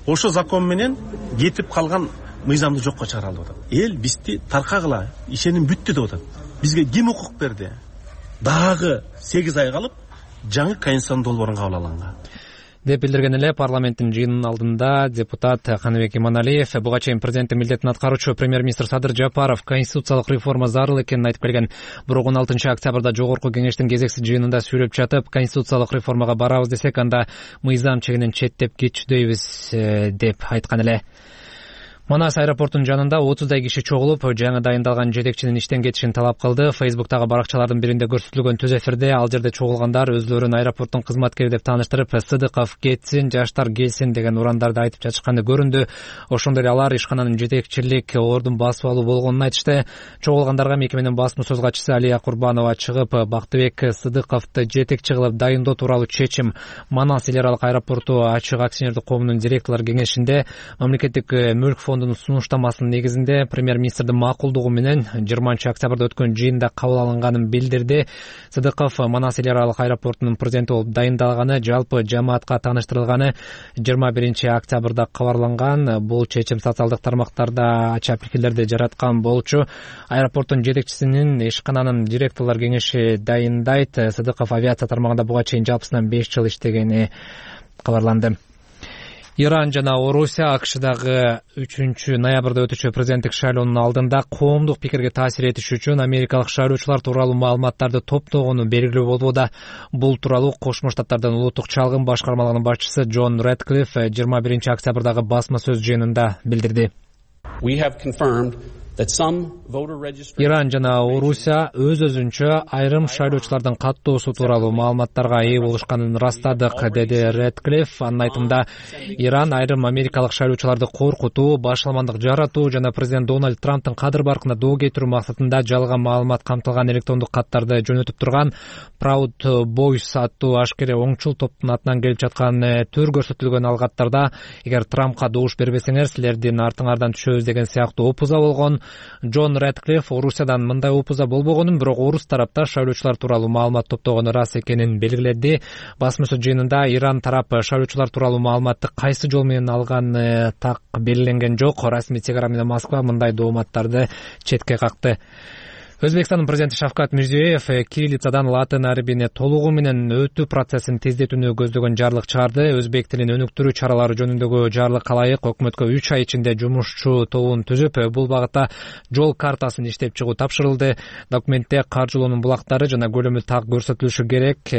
ошо закон менен кетип калган мыйзамды жокко чыгара алып атат. Эл бизди таркагыла, ишеним бүттү деп атат. Бизге ким укук берди? Дагы 8 ай калып жаңы конституциянын долбоорун кабыл алганга деп билдирген эле парламенттин жыйынынын алдында депутат Каныбек Иманалиев. Буга чейин президенттин милдетин аткаруучу премьер-министр Садыр Жапаров конституциялык реформа зарыл экенин айтып келген. Бирок 16 октябрда жогорку кеңештин кезексиз жыйынында сүйлөп жатып, конституциялык реформага барабыз десек, анда мыйзам чегинен четтеп кетчүдөйбүз деп айткан эле. Манас аэропортунун жанында 30дай киши чогулуп, жаңы дайындалган жетекчинин иштен кетишин талап кылды. Фейсбуктагы баракчалардын биринде көрсөтүлгөн түз эфирде ал жерде чогулгандар өзлөрүн аэропорттун кызматкери деп тааныштырып, Сыдыков кетсин, жаштар келсин деген урандарды айтып жатышканы көрүндү. Ошондой эле алар ишкананын жетекчилик ордун басып алуу болгонун айтышты. Чогулгандарга мекеменин басма сөз катчысы Алия Курбанова чыгып, Бактыбек Сыдыковду жетекчи кылып дайындоо тууралуу чечим Манас эл аралык аэропорту ачык акционердик коомунун директорлор кеңешинде мамлекеттик мүлк фондунун сунуштамасынын негизинде премьер-министрдин макулдугу менен 20 октябрда өткөн жыйында кабыл алынганын билдирди. Сыдыков Манас эл аралык аэропортунун президенти болуп дайындалганы, жалпы жамаатка тааныштырылганы 21 октябрда кабарланган. Бул чечим социалдык тармактарда ача пикирлерди жараткан болчу. Аэропорттун жетекчисинин ишкананын директорлор кеңеши дайындайт. Сыдыков авиация тармагында буга чейин жалпысынан 5 жыл иштегени кабарланды. Иран жана Орусия АКШдагы 3-ноябрда өтүшчү президенттик шайлоонун алдында коомдук пикирге таасир этиш үчүн америкалык шайлоочулар тууралуу маалыматтарды топтогону белгилүү болууда. Бул тууралуу Кошмо Штаттардын улуттук чалгын башкармалыгынын башчысы Джон Рэдклифф 21 октябрдагы басма сөз жыйынында билдирди. Иран жана Орусия өз-өзүнчө айрым шайлоочулардын каттоосу тууралуу маалыматтарга ээ болушканын ырастадык, деди Редклифф. Анын айтымында, Иран айрым америкалык шайлоочуларды коркутуу, башаламандык жаратуу жана президент Дональд Трамптын кадыр баркына доо кетирүү максатында жалган маалымат камтылган электрондук каттарды жөнөтүп турган Proud Boys аттуу ашкере оңчул топтун атынан келип жаткан төр көрсөтүлгөн алгаттарда эгер Трампка добуш бербесеңер, силердин артыңардан түшөбүз деген сыяктуу опуза болгон. Джон Редклифф Орусиядан мындай опуза болбогонун, бирок орус тарапта шайлоочулар тууралуу маалымат топтогону ырас экенин белгиледи. Басмасы жыйынында Иран тарап шайлоочулар тууралуу маалыматты кайсы жол менен алган так белгиленген жок. Расмий Тегеран менен Москва мындай дооматтарды четке какты. Өзбекстандын президенти Шавкат Мирзиёев кириллицадан латын арабине толугу менен өтүү процессин тездетүүнү көздөгөн жарлык чыгарды. Өзбек тилин өнүктүрүү чаралары жөнүндөгү жарлыкка ылайык өкмөткө 3 ай ичинде жумушчу тобун түзүп, бул багытта жол картасын иштеп чыгуу тапшырылды. Документте каржылоонун булактары жана көлөмү так көрсөтүлүшү керек.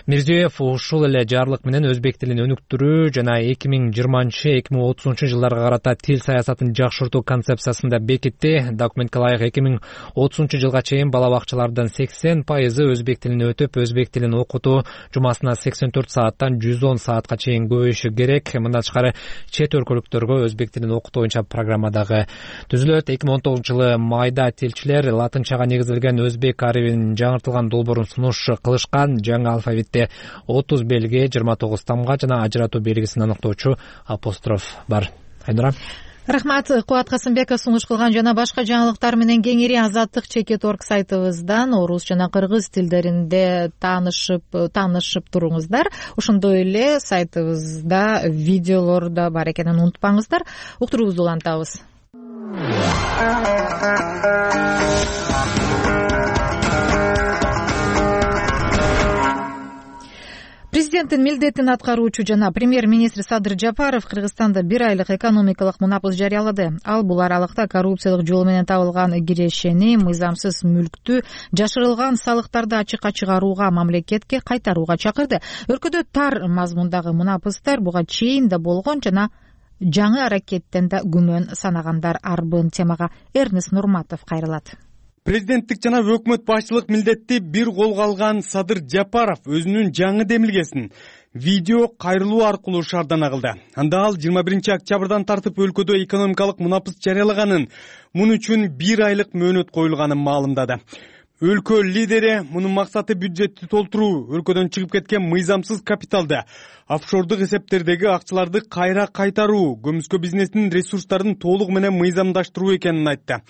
Мирзиёев ушул эле жарлык менен өзбек тилин өнүктүрүү жана 2020-2030 жылдарга карата тил саясатын жакшыртуу концепциясын да бекитти. Документке ылайык 2030 жылга чейин бала бакчалардын 80% өзбек тилин өтүп, өзбек тилин окутуу жумасына 84 сааттан 110 саатка чейин көбөйүшү керек. Мындан тышкары чет өлкөлүктөргө өзбек тилин окутуу боюнча программа дагы түзүлөт. 2019 жылы майда тилчилер латынчага негизделген өзбек арабинин жаңыртылган долбоорун сунуш кылышкан. Жаңы алфавитте 30 белги, 29 тамга жана ажыратуу белгисин аныктоочу апостроф бар. Айнура. Рахмат, Кубат Касымбеков сунуш кылган жана башка жаңылыктар менен кеңири Азаттык Чекет.орг сайтыбыздан орус жана кыргыз тилдеринде таанышып туруңуздар. Ошондой эле сайтыбызда видеолор да бар экенин унутпаңыздар. Уктуруубузду улантабыз. Президенттин милдетин аткаруучу жана премьер-министр Садыр Жапаров Кыргызстанда 1 айлык экономикалык мунапыз жарыялады. Ал бул аралыкта коррупциялык жол менен табылган кирешени, мыйзамсыз мүлктү, жашырылган салыктарды ачыкка чыгарууга, мамлекетке кайтарууга чакырды. Өлкөдө тар мазмундагы мунапыздар буга чейин да болгон жана жаңы аракеттен да күмөн санагандар арбын. Темага Эрнест Нурматов кайрылат. Президенттик жана өкмөт башчылык милдетти бир колго алган Садыр Жапаров өзүнүн жаңы демилгесин видео кайрылуу аркылуу шаардана кылды. Анда ал 21 октябрдан тартып өлкөдө экономикалык мунапыз жарыялаганын, муну үчүн 1 айлык мөөнөт коюлганын маалымдады. Өлкө лидери мунун максаты бюджетти толтуруу, өлкөдөн чыгып кеткен мыйзамсыз капиталды, офшордук эсептердеги акчаларды кайра кайтаруу, көмүскө бизнестин ресурстарын толук менен мыйзамдаштыруу экенин айтты.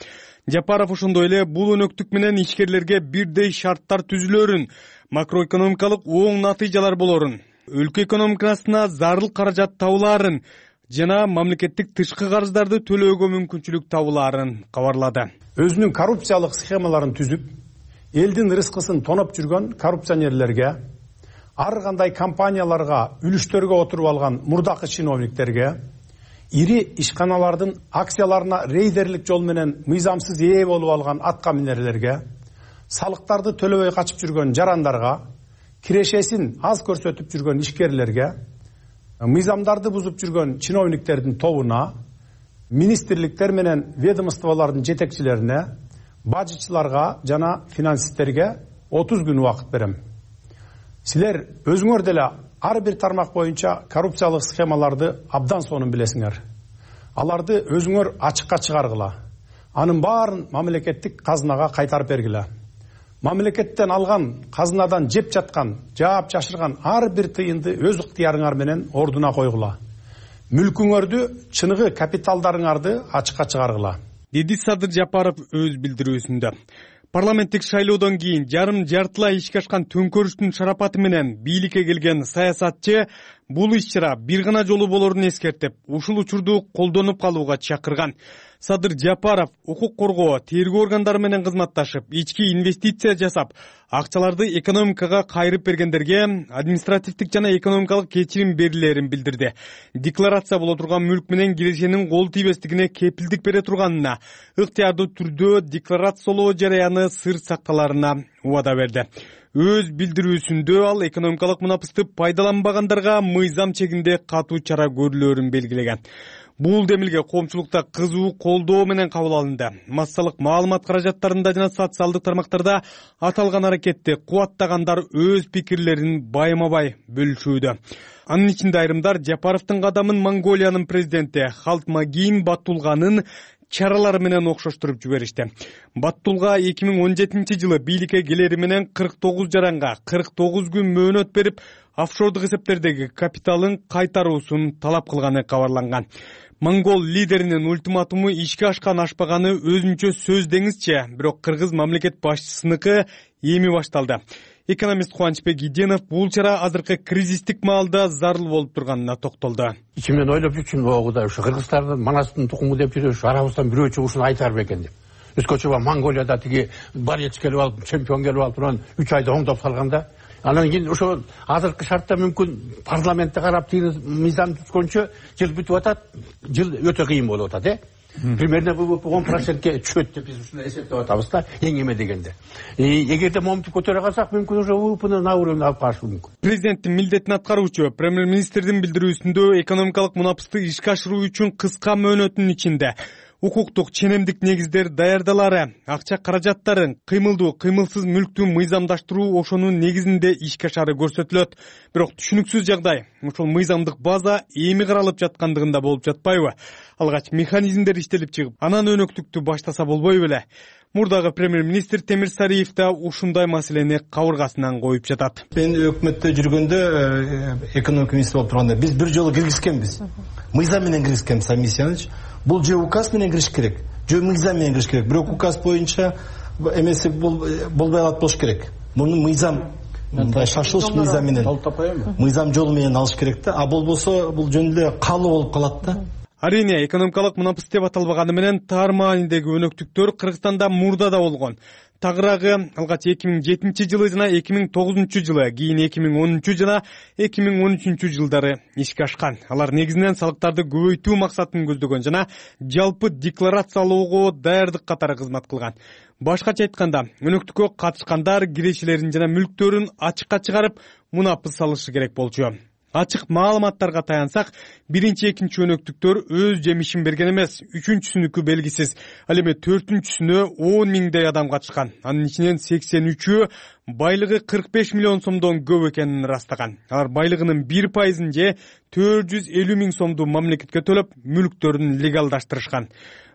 Жапаров ошондой эле бул өнөктүк менен ишкерлерге бирдей шарттар түзүлөрүн, макроэкономикалык оң натыйжалар болорун, өлкө экономикасына зарыл каражат табылаарын жана мамлекеттик тышкы карыздарды төлөөгө мүмкүнчүлүк табылаарын кабарлады. Өзүнүн коррупциялык схемаларын түзүп, элдин рызкысын тоноп жүргөн коррупционерлерге, ар кандай компанияларга, үлүштөргө отуруп алган мурдакы чиновниктерге, ири ишканалардын акцияларына рейдерлик жол менен мыйзамсыз ээ болуп алган атка минерлерге, салыктарды төлөбөй качып жүргөн жарандарга, кирешесин аз көрсөтүп жүргөн ишкерлерге, мыйзамдарды бузуп жүргөн чиновниктердин тобуна, министрликтер менен ведомстволордун жетекчилерине, бажычыларга жана финансисттерге 30 күн убакыт берем. Силер өзүңөр деле ар бир тармак боюнча коррупциялык схемаларды абдан сонун билесиңер. Аларды өзүңөр ачыкка чыгаргыла. Анын баарын мамлекеттик казынага кайтарып бергиле. Мамлекеттен алган, казынадан жеп жаткан, жаап жашырган ар бир тыйынды өз ыктыярыңар менен ордуна койгула. Мүлкүңөрдү, чыныгы капиталдарыңарды ачыкка чыгаргыла. Деди Садыр Жапаров өз билдирүүсүндө. Парламенттик шайлоодон кийин жартылай ишке ашкан төңкөрүштүн шарапаты менен бийликке келген саясатчы бул иш-чара бир гана жолу болорун эскертип, ушул учурду колдонуп калууга чакырган. Садыр Жапаров укук коргоо, тергөө органдары менен кызматташып, ички инвестиция жасап, акчаларды экономикага кайрып бергендерге административдик жана экономикалык кечирим берилерин билдирди. Декларация боло турган мүлк менен кирешенин кол тийбестигине кепилдик бере турганына, ыктыярдуу түрдө декларациялоо жараяны сыр сакталарына убада берди. Өз билдирүүсүндө ал экономикалык мунапызды пайдаланбагандарга мыйзам чегинде катуу чара көрүлөрүн белгилеген. Бул демилге коомчулукта кызуу колдоо менен кабыл алынды. Массалык маалымат каражаттарында жана социалдык тармактарда аталган аракетти кубаттагандар өз пикирлерин байма-бай бөлүшүүдө. Анын ичинде айрымдар Жапаровдун кадамын Монголиянын президенти Халтмагин Баттулганын чаралары менен окшоштуруп жиберишти. Баттулга 2017 жылы бийликке келери менен 49 жаранга 49 күн мөөнөт берип, офшордук эсептердеги капиталын кайтаруусун талап кылганы кабарланган. Монгол лидеринин ультиматуму ишке ашкан ашпаганы өзүнчө сөз деңизчи, бирок кыргыз мамлекет башчысыныкы эми башталды. Экономист Кубанычбек Иденов бул чара азыркы кризистик маалда зарыл болуп турганына токтолду. Ичимен ойлоп жүрчүмүн, огуда ушу кыргыздардын манастын тукуму деп жүрөбүз, арабыздан бирөө чыгышын айтар бекен деп. Өскөчө Монголияда тиги борец келип алып, чемпион келип алып турган 3 айда оңдоп салганда, анан кийин ошо азыркы шартта мүмкүн парламентте карап тиги мыйзам түзгөнчө жыл бүтүп атат, жыл өтө кыйын болуп атат, Примерно 10%ке түшөт деп биз ушундай эсептеп атабыз да, эң эме дегенде. Эгерде моментти көтөрө калсак, мүмкүн уже УПны на уровень алып калышы мүмкүн. Президенттин милдетин аткаруучу премьер-министрдин билдирүүсүндө экономикалык мунапысты ишке ашыруу үчүн кыска мөөнөттүн ичинде укуктук ченемдик негиздер даярдалары, акча каражаттарын, кыймылдуу, кыймылсыз мүлктү мыйзамдаштыруу ошонун негизинде ишке ашары көрсөтүлөт. Бирок түшүнүксүз жагдай, ошол мыйзамдык база эми каралып жаткандыгында болуп жатпайбы? Алгач механизмдер иштелип чыгып, анан өнөктүктү баштаса болбойбу беле? Мурдагы премьер-министр Темир Сариев да ушундай маселени кабыргасынан коюп жатат. Мен өкмөттө жүргөндө экономика министри болуп турганда биз бир жолу киргизкенбиз. Мыйзам менен киргизкенбиз, Амисияныч. Бул же указ менен кириш керек, же мыйзам менен кириш керек. Бирок указ боюнча эмеси болбой алат болуш керек. Муну мыйзам шашылыш мыйзам менен, мыйзам жолу менен алыш керек да. А болбосо бул жөн эле калуу болуп калат да. Арине, экономикалык мунапыс деп аталбаганы менен тар маанидеги өнөктүктөр Кыргызстанда мурда да болгон. Тагыраагы алгач 2007 жылы жана 2009 жылы, кийин 2010 жана 2013 жылдары ишке ашкан. Алар негизинен салыктарды көбөйтүү максатын көздөгөн жана жалпы декларациялоого даярдык катары кызмат кылган. Башкача айтканда, өнөктүккө катышкандар кирешелерин жана мүлктөрүн ачыкка чыгарып, мунапыс салышы керек болчу. Ачык маалыматтарга таянсак, биринчи, экинчи өнөктүктөр өз жемишин берген эмес, үчүнчүсүнүкү белгисиз. Ал эми төртүнчүсүнө 10 миңдей адам катышкан. Анын ичинен 83-ü байлыгы 45 миллион сомдон көп экенин ырастаган. Алар байлыгынын 1% же 450 миң сомду мамлекетке төлөп, мүлктөрүн легалдаштырышкан.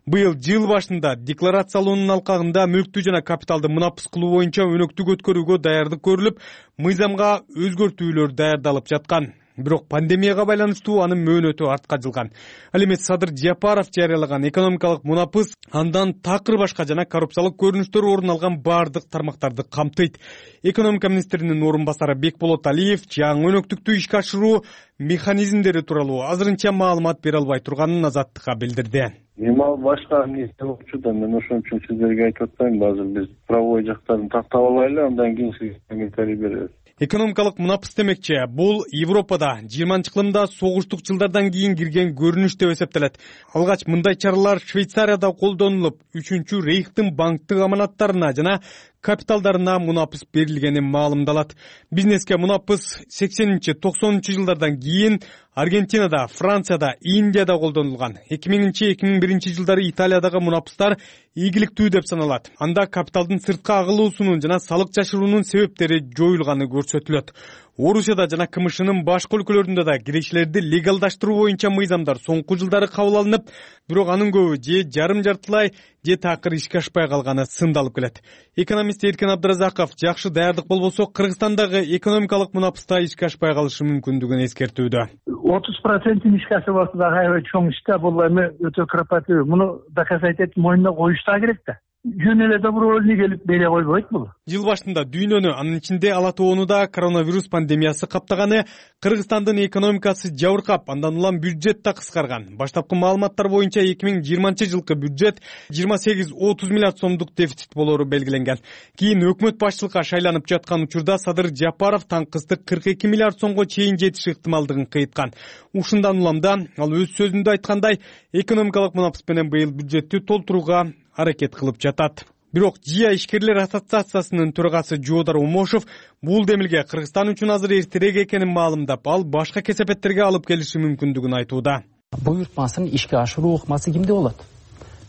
Быйыл жыл башында декларациялоонун алкагында мүлктү жана капиталды мунапыс кылуу боюнча өнөктүк өткөрүүгө даярдык көрүлүп, мыйзамга өзгөртүүлөр даярдалып жаткан. Бирок пандемияга байланыштуу анын мөөнөтү артка жылган. Ал эми Садыр Жапаров жарыялаган экономикалык мунапыс андан такыр башка жана коррупциялык көрүнүштөр орун алган бардык тармактарды камтыйт. Экономика министринин орун басары Бекболот Алиев жаңы өнөктүктү ишке ашыруу механизмдери тууралуу азырынча маалымат бере албай турганын Азаттыкка билдирди. Эми башка эмне болчу да, мен ошон үчүн сиздерге айтып атпайм, азыр биз правовой жактарын тактап алайлы, андан кийин сизге комментарий беребиз. Экономикалык мунапыс демекчи, бул Европада 20-кылымда согуштук жылдардан кийин кирген көрүнүш деп эсептелет. Алгач мындай чаралар Швейцарияда колдонулуп, 3-чү Рейхтин банктык аманаттарына жана капиталдарына мунапыс берилгени маалымдалат. Бизнеске мунапыс 80-90 жылдардан кийин Аргентинада, Францияда, Индияда колдонулган. 2000-2001 жылдары Италиядагы мунапыстар ийгиликтүү деп саналат. Анда капиталдын сыртка агылуусунун жана салык жашыруунун себептери жоюлганы көрсөтүлөт. Орусияда жана КМШнын башка өлкөлөрүндө да кирешелерди легалдаштыруу боюнча мыйзамдар соңку жылдары кабыл алынып, бирок анын көбү же жарым-жартылай, же такыр ишке ашпай калганы сындалып келет. Экономист Эркен Абдыразаков жакшы даярдык болбосо Кыргызстандагы экономикалык мунапыста ишке ашпай калышы мүмкүндүгүн эскертүүдө. 30% ишке ашып алса да аябай чоң иш да, бул эми өтө кропотливый. Муну доказать этип мойнуна коюш да керек да. Жөн эле добровольный келип бере койбойт бул. Жыл башында дүйнөнү, анын ичинде Ала Тоону да коронавирус пандемиясы каптаганы, Кыргызстандын экономикасы жабыркап, андан улам бюджет да кыскарган. Баштапкы маалыматтар боюнча 2020 жылкы бюджет 28-30 миллиард сомдук дефицит болору белгиленген. Кийин өкмөт башчылыкка шайланып жаткан учурда Садыр Жапаров таңкысты 42 миллиард сомго чейин жетиш ыктымалдыгын кыйткан. Ушундан уламда ал өз сөзүндө айткандай, экономикалык мунапыс менен быйыл бюджетти толтурууга аракет кылып жатат. Бирок ЖИА ишкерлер ассоциациясынын төрагасы Жоодар Омошов бул демилге Кыргызстан үчүн азыр эртерээк экенин маалымдап, ал башка кесепеттерге алып келиши мүмкүндүгүн айтууда. буйртмасын ишке ашыруу ыкмасы кимде болот?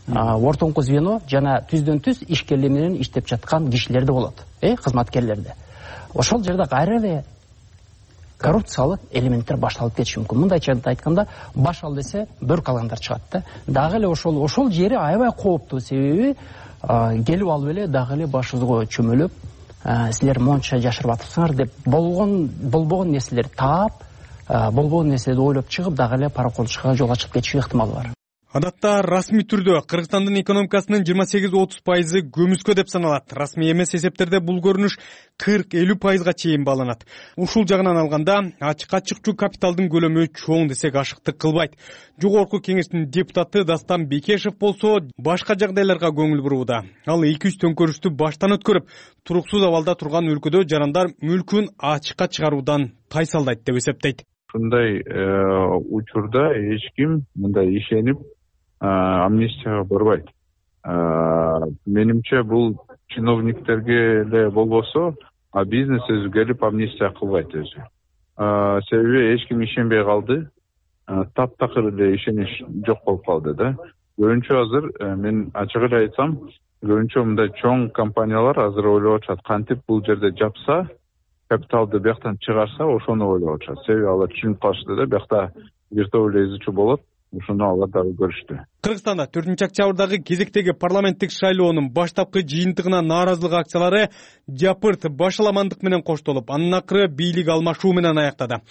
Ортоңку звено жана түздөн түз ишкерлер менен иштеп жаткан кишилерде болот, кызматкерлерде. Ошол жерде кайра коррупциялык элементтер башталып кетиши мүмкүн. Мындайча айтканда, баш ал десе бөр калгандар чыгат да. Дагы эле ошол жери аябай кооптуу, себеби келип алып эле дагы эле башыңызга чөмөлөп, силер монча жашырып атыпсыңар деп болбогон нерселерди таап, болбогон нерселерди ойлоп чыгып, дагы эле параколчуга жол ачып кетиши ыктымалы бар. Адатта расмий түрдө Кыргызстандын экономикасынын 28-30% көмүскө деп саналат. Расмий эмес эсептерде бул көрүнүш 40-50%га чейин бааланат. Ушул жагынан алганда ачык-ачыкчуу капиталдын көлөмү чоң десек ашыктык кылбайт. Жогорку кеңештин депутаты Дастан Бекешев болсо башка жагдайларга көңүл бурууда. Ал 2-3 төңкөрүштү баштан өткөрүп, туруксуз абалда турган өлкөдө жарандар мүлкүн ачыкка чыгаруудан тайсалдайт деп эсептейт. Ушундай учурда эч ким мындай ишенип амнистияга барбайт. Менимче бул чиновниктерге эле болбосо, бизнес өзү келип амнистия кылбайт өзү. Себеби эч ким ишенбей калды. Таптакыр эле ишенич жок болуп калды да. Көбүнчө азыр мен ачык эле айтсам, көбүнчө мындай чоң компаниялар азыр ойлоп атышат, кантип бул жерде жапса, капиталды бияктан чыгарса, ошону ойлоп атышат. Себеби алар түшүнүп калышты да, биякта виртуалдуу изучу болот. Ушуну алар дагы көрүштү. Кыргызстанда 4-октябрдагы кезектеги парламенттик шайлоонун баштапкы жыйынтыгына нааразылык акциялары жапырт башаламандык менен коштолуп, анын акыры бийлик алмашуу менен аяктады.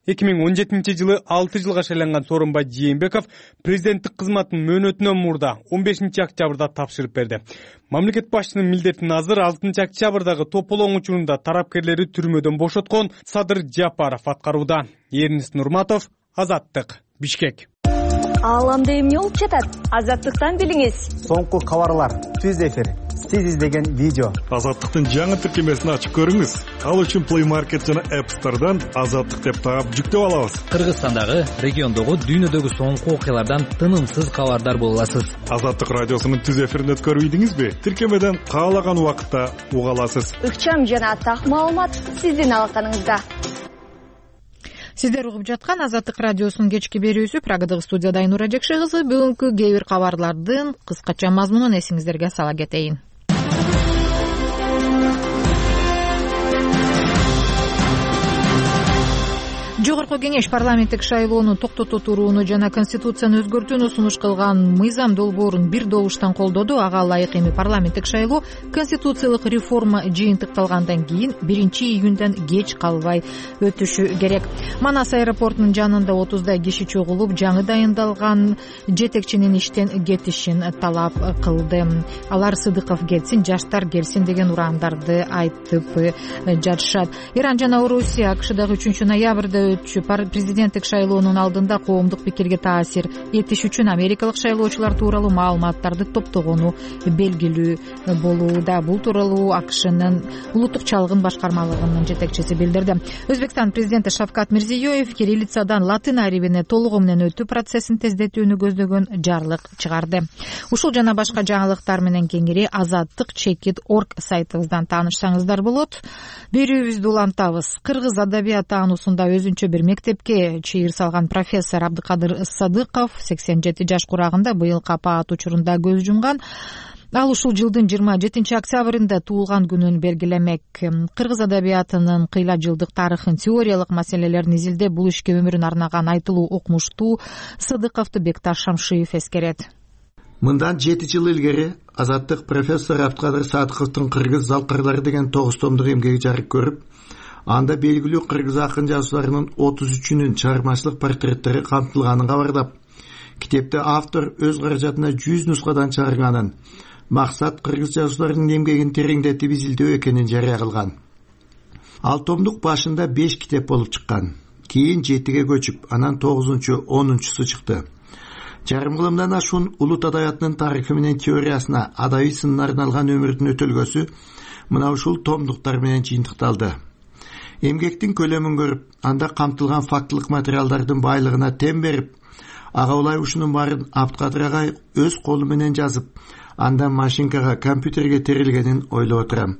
2017-жылы 6 жылга шайланган Сооронбай Жээнбеков президенттик кызматын мөөнөтүнөн мурда 15-октябрда тапшырып берди. Мамлекет башчынын милдетин азыр 6-октябрдагы тополоң учурунда тарапкерлери түрмөдөн бошоткон Садыр Жапаров аткарууда. Эрнис Нурматов, Азаттык, Бишкек. Ааламда эмне болуп жатат? Азаттыктан билиңиз. Соңку кабарлар, түз эфир, сиз издеген видео. Азаттыктын жаңы тиркемесин ачып көрүңүз. Ал үчүн Play Market жана App Store'дан Азаттык деп таап жүктөп алабыз. Кыргызстандагы, региондогу, дүйнөдөгү соңку окуялардан тынымсыз кабардар боло аласыз. Азаттык радиосунун түз эфирин өткөрүп ийдиңизби? Тиркемеден каалаган убакытта уга аласыз. Ыкчам жана так маалымат сиздин алаканыңызда. Сиздер угуп жаткан Азаттык радиосунун кечки берүүсү. Прагадагы студияда Айнура Жекше кызы. Бүгүнкү кээ бир кабарлардын кыскача мазмунун эсиңиздерге сала кетейин. Жогорку кеңеш парламенттик шайлоону токтото турууну жана конституцияны өзгөртүүнү сунуш кылган мыйзам долбоорун бир добуштан колдоду. Ага ылайык эми парламенттик шайлоо конституциялык реформа жыйынтыкталгандан кийин 1-июндөн кеч калбай өтүшү керек. Манас аэропортунун жанында 30дай киши чогулуп, жаңы дайындалган жетекчинин иштен кетишин талап кылды. Алар Сыдыков кетсин, жаштар келсин деген ураандарды айтып жатышат. Иран жана Орусия АКШдагы 3-ноябрда президенттик шайлоонун алдында коомдук пикирге таасир этиш үчүн америкалык шайлоочулар тууралуу маалыматтарды топтогону белгилүү болууда. Бул тууралуу АКШнын улуттук чалгын башкармалыгынын жетекчиси билдирди. Өзбекстан президенти Шавкат Мирзиёев кириллицадан латын арибине толугу менен өтүү процессин тездетүүнү көздөгөн жарлык чыгарды. Ушул жана башка жаңылыктар менен кеңири azattik.org сайтыбыздан таанышсаңыздар болот. Берүүбүздү улантабыз. Кыргыз адабият таануусунда өзүнчө бир мектепке чыйыр салган профессор Абдыкадыр Садыков 87 жаш курагында быйылкы апаат учурунда көз жумган. Ал ушул жылдын 27 октябрында туулган күнүн белгилемек. Кыргыз адабиятынын кыйла жылдык тарыхын, теориялык маселелерин изилдеп, бул ишке өмүрүн арнаган айтылуу окумуштуу Садыковду Бекташ Шамшиев эскерет. Мындан 7 жыл илгери Азаттык профессор Абдыкадыр Садыковдун Кыргыз залкарлары деген 9 томдук эмгеги жарык көрүп, анда белгилүү кыргыз акын жазууларынын 33-үнүн чыгармачылык портреттери камтылганын кабардап, китепте автор өз каражатына 100 нускадан чыгарганын, максат кыргыз жазууларынын эмгегин тереңдетип изилдөө экенин жарыя кылган. Ал томдук башында 5 китеп болуп чыккан, кийин 7ге көчүп, анан 9-чу, 10-чусу чыкты. Жарым кылымдан ашуун улут адабиятынын тарыхы менен теориясына адабий сынына арналган өмүрдүн өтөлгөсү мына ушул томдуктар менен жыйынтыкталды. Эмгектин көлөмүн көрүп, анда камтылган фактылык материалдардын байлыгына тем берип, ага улай ушунун баарын Абдыкадыр агай өз колу менен жазып, андан машинкага, компьютерге терилгенин ойлоп отурам.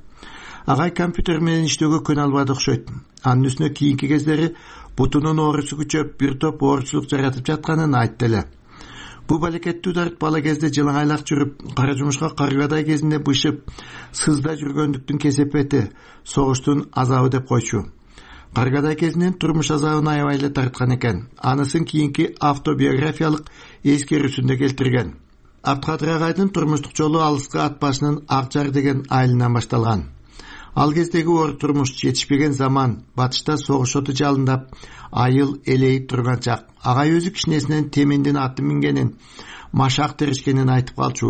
Агай компьютер менен иштөөгө көнө албады окшойт. Анын үстүнө кийинки кездери бутунун оорусу күчөп, бир топ ооручулук жаратып жатканын айтты эле. Бу балекеттүү дарт бала кезде жылаңайлак жүрүп, кара жумушка каргадай кезинде бышып, сызда жүргөндүктүн кесепети, согуштун азабы деп койчу. Каргадай кезинен турмуш азабын аябай эле тарткан экен. Анысын кийинки автобиографиялык эскерүүсүндө келтирген. Абдыкадыр агайдын турмуштук жолу алыскы ат башынын Акжар деген айылынан башталган. Ал кездеги оор турмуш, жетишпеген заман, батышта согуш оту жалындап, айыл элейип турган чак. Агай өзү кичинесинен темендин аты мингенин, машак терешкенин айтып калчу.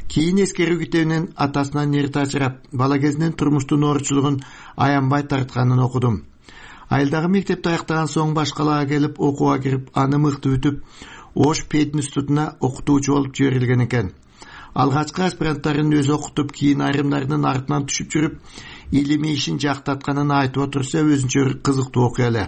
Кийин эскерүү китебинен атасынан нерти ажырап, бала кезинен турмуштун оорчулугун аянбай тартканын окудум. Айылдагы мектепти аяктаган соң баш калаага келип окууга кирип, аны мыкты бүтүп, Ош пединститутуна окутуучу болуп жиберилген экен. Алгачкы аспиранттарын өзү окутуп, кийин айрымдарынын артынан түшүп жүрүп, илимий ишин жактатканын айтып отурса, өзүнчө кызыктуу окуя эле.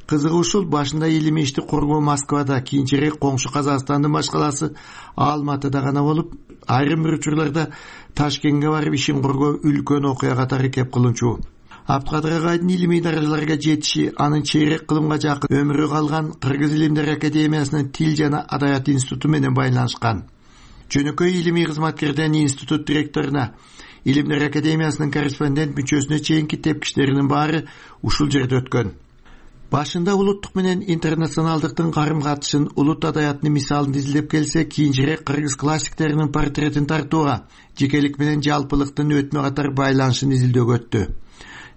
Кызыгы ушул, башында илимий ишти коргоо Москвада, кийинчерээк коңшу Казакстандын баш калаасы Алматыда гана болуп, айрым бир учурларда Ташкентке барып ишин коргоо үлкөн окуя катары кеп кылынчу. Абдыкадыр агайдын илимий даражаларга жетиши, анын чейрек кылымга жакын өмүрү калган Кыргыз Илимдер Академиясынын Тил жана Адабият институту менен байланышкан. Жөнөкөй илимий кызматкерден институт директоруна, Илимдер Академиясынын корреспондент мүчөсүнө чейинки тепкичтеринин баары ушул жерде өткөн. Башында улуттук менен интернационалдыктын карым катышын, улут адабиятынын мисалын изилдеп келсе, кийинчерээк кыргыз классиктеринин портретин тартууга, жекелик менен жалпылыктын өтмө катар байланышын изилдөөгө өттү.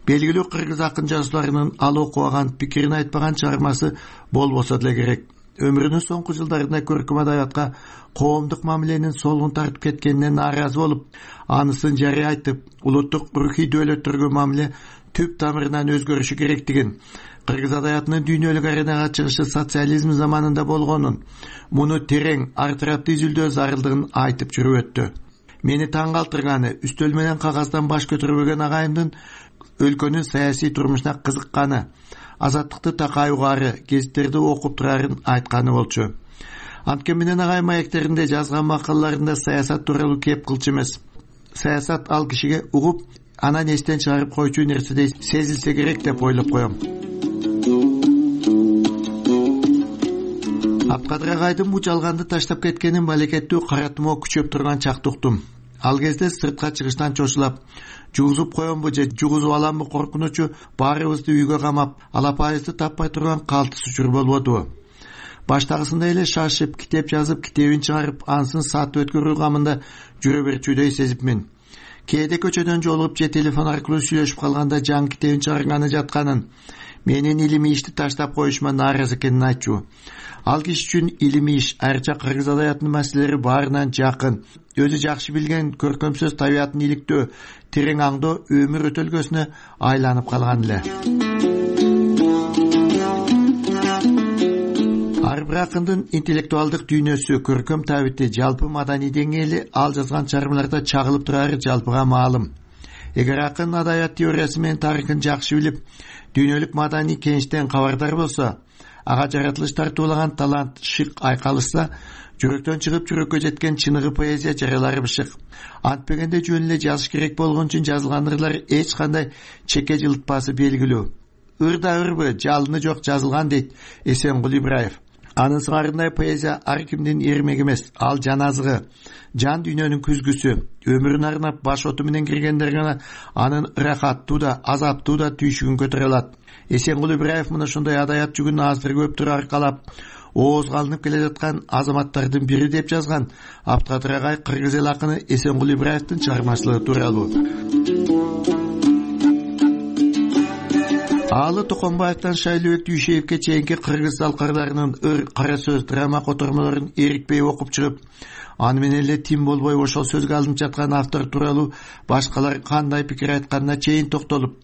Белгилүү кыргыз акын жазууларынын ал окубаган, пикирин айтпаган чыгармасы болбосо деле керек. Өмүрүнүн соңку жылдарында көркөм адабиятка коомдук мамиленин солгун тартып кеткенине нааразы болуп, анысын жарыя айтып, улуттук рухий дөөлөттөргө мамиле түп тамырынан өзгөрүшү керектигин, кыргыз адабиятынын дүйнөлүк аренага чыгышы социализм заманында болгонун, муну терең, ар тараптуу изилдөө зарылдыгын айтып жүрүп өттү. Мени таң калтырганы, үстөл менен кагаздан баш көтөрбөгөн агайымдын өлкөнүн саясий турмушуна кызыкканы, азаттыкты такай угаары, гезиттерди окуп турарын айтканы болчу. Анткени менен агай маектеринде жазган макалаларында саясат тууралуу кеп кылчу эмес. Саясат ал кишиге угуп, анан эстен чыгарып койчу нерседей сезилсе керек деп ойлоп коем. Абдыкадыр агайдын бул жалганды таштап кеткенин балекеттүү кара тумоо күчөп турган чакта уктум. Ал кезде сыртка чыгыштан чочулап, жугузуп коембу же жугузуп аламбы коркунучу баарыбызды үйгө камап, алапайыбызды таппай турган калтыс учур болбодубу? Баштагысындай эле шашып, китеп жазып, китебин чыгарып, ансын саат өткөрүү камында жүрө берчүдөй сезипмин. Кээде көчөдөн жолугуп же телефон аркылуу сүйлөшүп калганда жан китебин чыгарганы жатканын, менин илимий ишти таштап коюшума нааразы экенин айтчу. Ал киши үчүн илимий иш, айрыкча кыргыз адабиятынын маселелери баарынан жакын, өзү жакшы билген көркөм сөз табиятын иликтөө, терең аңдоо өмүр өтөлгөсүнө айланып калган эле. Ар бир акындын интеллектуалдык дүйнөсү, көркөм табити, жалпы маданий деңгээли ал жазган чыгармаларда чагылып турары жалпыга маалым. Эгер акын адабият теориясы менен тарыхын жакшы билип, дүйнөлүк маданий кеңиштен кабардар болсо, ага жаратылыш тартуулаган талант шык айкалышса, жүрөктөн чыгып жүрөккө жеткен чыныгы поэзия жаралары бышык. Антпегенде жөн эле жазыш керек болгон үчүн жазылган ырлар эч кандай чеке жылытпасы белгилүү. Ырда ырбы, жалыны жок жазылган дейт Эсенгул Ибраев. Анын сыңарындай поэзия ар кимдин эрмеги эмес, ал жан азыгы, жан дүйнөнүн күзгүсү. Өмүрүн арнап баш оту менен киргендер гана анын ырахаттуу да, азаптуу да түйшүгүн көтөрө алат. Эсенгул Ибраев мына ушундай адабият жүгүн азыр көптүр аркалап, ооз калынып келе жаткан азаматтардын бири деп жазган Абдыкадыр агай кыргыз эл акыны Эсенгул Ибраевдин чыгармачылыгы тууралуу. Аалы Токонбаевден Шайлообек Дүйшеевке чейинки кыргыз залкарларынын ыр, кара сөз, драма котормолорун эрикпей окуп чыгып, аны менен эле тим болбой ошол сөзгө алынып жаткан автор тууралуу башкалар кандай пикир айтканына чейин токтолуп,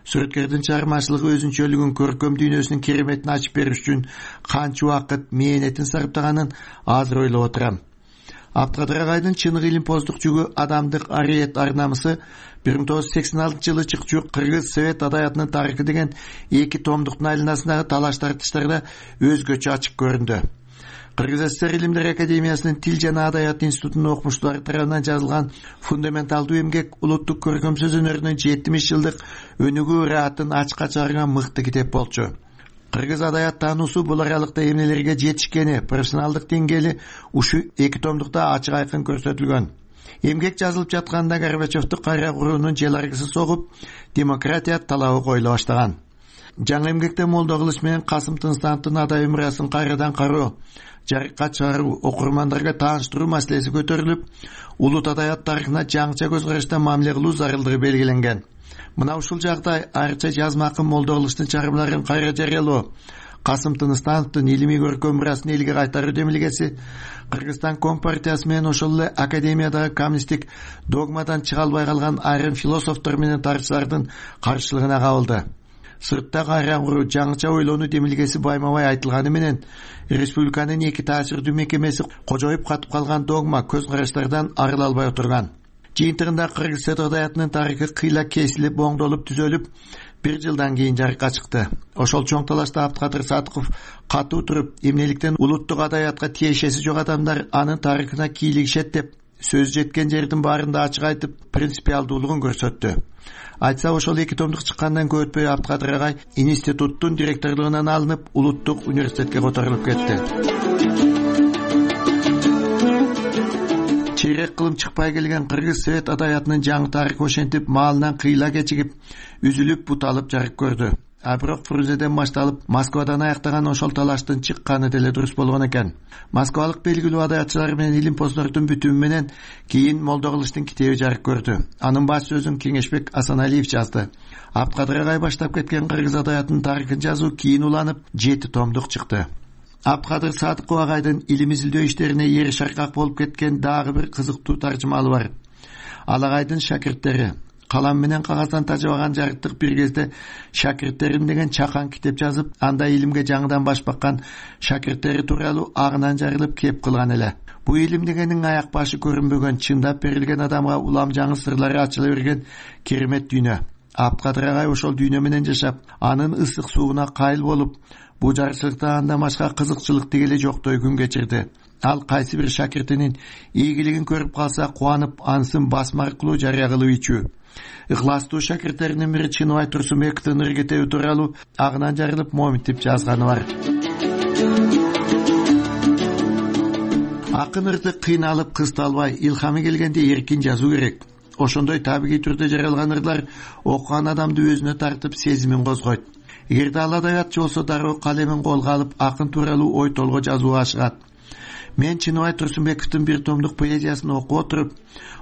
сүрөткөрдүн чыгармачылыгы өзүнчөлүгүн, көркөм дүйнөсүнүн кереметин ачып бериш үчүн канча убакыт мээнетин сарптаганын азыр ойлоп отурам. Абдыкадыр агайдын чыныгы илимпоздук жүгү адамдык ариет ар-намысы 1986-жылы чыкчу Кыргыз Совет адабиятынын тарыхы деген 2 томдуктун айланасындагы талаш тартыштарда өзгөчө ачык көрүндү. Кыргыз ССР Илимдер Академиясынын Тил жана Адабият институтунун окумуштуулары тарабынан жазылган фундаменталдуу эмгек улуттук көркөм сөз өнөрүнүн 70 жылдык өнүгүү ыраатын ачка чыгарган мыкты китеп болчу. Кыргыз адабият таануусу бул аралыкта эмнелерге жетишкени, профессионалдык деңгээли ушу 2 томдукта ачык айкын көрсөтүлгөн. Эмгек жазылып жатканда Горбачевду кайра куруунун жел аргысы согуп, демократия талабы коюла баштаган. Жаңы эмгекте Молдо Кылыч менен Касым Тынстановдун адабий мурасын кайрадан кароо, жарыкка чыгаруу, окурмандарга тааныштыруу маселеси көтөрүлүп, улут адабият тарыхына жаңыча көз карашта мамиле кылуу зарылдыгы белгиленген. Мына ушул жагдай айрыкча жазма акын Молдо Кылычтын чыгармаларын кайра жарыялоо, Касым Тынстановдун илимий көркөм мурасын элге кайтаруу демилгеси Кыргызстан Компартиясы менен ошол эле академиядагы коммунисттик догмадан чыга албай калган айрым философтор менен тарыхчылардын каршылыгына кабылды. Сыртта кайра куруу, жаңыча ойлонуу демилгеси байма-бай айтылганы менен республиканын 2 таасирдүү мекемеси кожоюп катып калган догма көз караштардан арыла албай отурган. Жыйынтыгында кыргыз адабиятынын тарыхы кыйла кесилип, оңдолуп, түзөлүп, 1 жылдан кийин жарыкка чыкты. Ошол чоң талашта Абдыкадыр Садыков катуу туруп, эмнеликтен улуттук адабиятка тиешеси жок адамдар анын тарыхына кийлигишет деп, сөз жеткен жердин баарында ачык айтып, принципиалдуулугун көрсөттү. Айтса, ошол 2 томдук чыккандан көп өтпөй Абдыкадыр агай институттун директорлугунан алынып, улуттук университетке которулуп кетти. Чейрек кылым чыкпай келген кыргыз совет адабиятынын жаңы тарыхы ошентип маалынан кыйла кечигип, үзүлүп, буталып жарык көрдү. А бирок Фрунзеден башталып, Москвадан аяктаган ошол талаштын чыкканы деле дурус болгон экен. Москвалык белгилүү адабиятчылар менен илимпоздордун бүтүмү менен кийин Молдо Кылычтын китеби жарык көрдү. Анын баш сөзүн Кеңешбек Асаналиев жазды. Абдыкадыр агай баштап кеткен кыргыз адабиятынын тарыхын жазуу кийин уланып 7 томдук чыкты. Абдыкадыр Садыков агайдын илим изилдөө иштерине ери шаркак болуп кеткен дагы бир кызыктуу таржымалы бар. Ал агайдын шакирттери калам менен кагаздан тажабаган жарыктык бир кезде шакирттерим деген чакан китеп жазып, анда илимге жаңыдан баш баккан шакирттери тууралуу агынан жарылып кеп кылган эле. Бу илим дегенин аяк башы көрүнбөгөн, чындап берилген адамга улам жаңы сырлары ачыла берген керемет дүйнө. Абдыкадыр агай ошол дүйнө менен жашап, анын ысык сууна кайыл болуп, бу жарчылыкта андан башка кызыкчылык дегеле жоктой күн кечирди. Ал кайсы бир шакиртинин ийгилигин көрүп калса кубанып, ансын басма аркылуу жарыя кылып ичүү. Ыхластуу шакирттеринин бири Чыныбай Турсунбековдун ыргетеби тууралуу агынан жарылып моминтип жазганы бар. Акын ырды кыйналып, кысталбай, илхамы келгенде эркин жазуу керек. Ошондой табигый түрдө жаралган ырлар окуган адамды өзүнө тартып, сезимин козгойт. Эгерде ал адабиятчы болсо дароо калемин колго алып, акын тууралуу ой толго жазууга ашыгат. Мен Чыныбай Турсунбековдун 1 томдук поэзиясын окуп отуруп,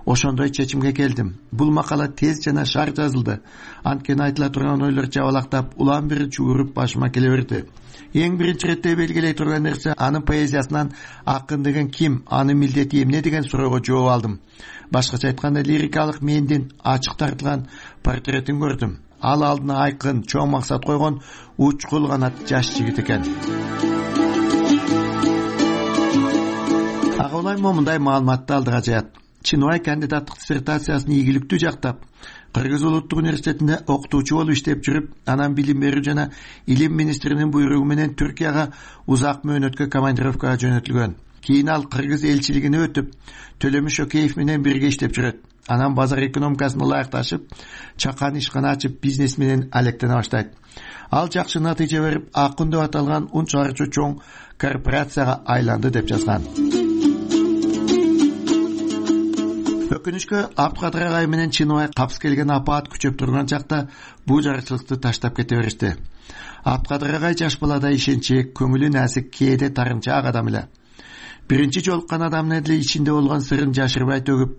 ошондой чечимге келдим. Бул макала тез жана шар жазылды. Анткени айтыла турган ойлор жабалактап, улам бир чууруп башыма келе берди. Эң биринчи иретте белгилей турган нерсе анын поэзиясынан акын деген ким, анын милдети эмне деген суроого жооп алдым. Башкача айтканда, лирикалык мендин ачык тартылган портретин көрдүм. Ал алдына айкын, чоң максат койгон учкул канат жаш жигит экен. Ага улайм момундай маалыматты алдыга жаят. Чыныбай кандидаттык диссертациясын ийгиликтүү жактап, Кыргыз улуттук университетинде окутуучу болуп иштеп жүрүп, анан билим берүү жана илим министринин буйругу менен Түркияга узак мөөнөткө командировкага жөнөтүлгөн. Кийин ал Кыргыз элчилигине өтүп, Төлөмүш Океев менен бирге иштеп жүрөт. Анан базар экономикасын ылайыкташып, чакан ишкана ачып, бизнес менен алектене баштайт. Ал жакшы натыйжа берип, Акын деп аталган ун чыгаруучу чоң корпорацияга айланды деп жазган. Өкүнүчкө Абдыкадыр агай менен Чыныбай капыс келген апаат күчөп турган чакта бул жарычылыкты таштап кете беришти. Абдыкадыр агай жаш балада ишенчек, көңүлү насик, кээде тарымчаак адам эле. Биринчи жолуккан адамдын эле ичинде болгон сырын жашырбай төгүп,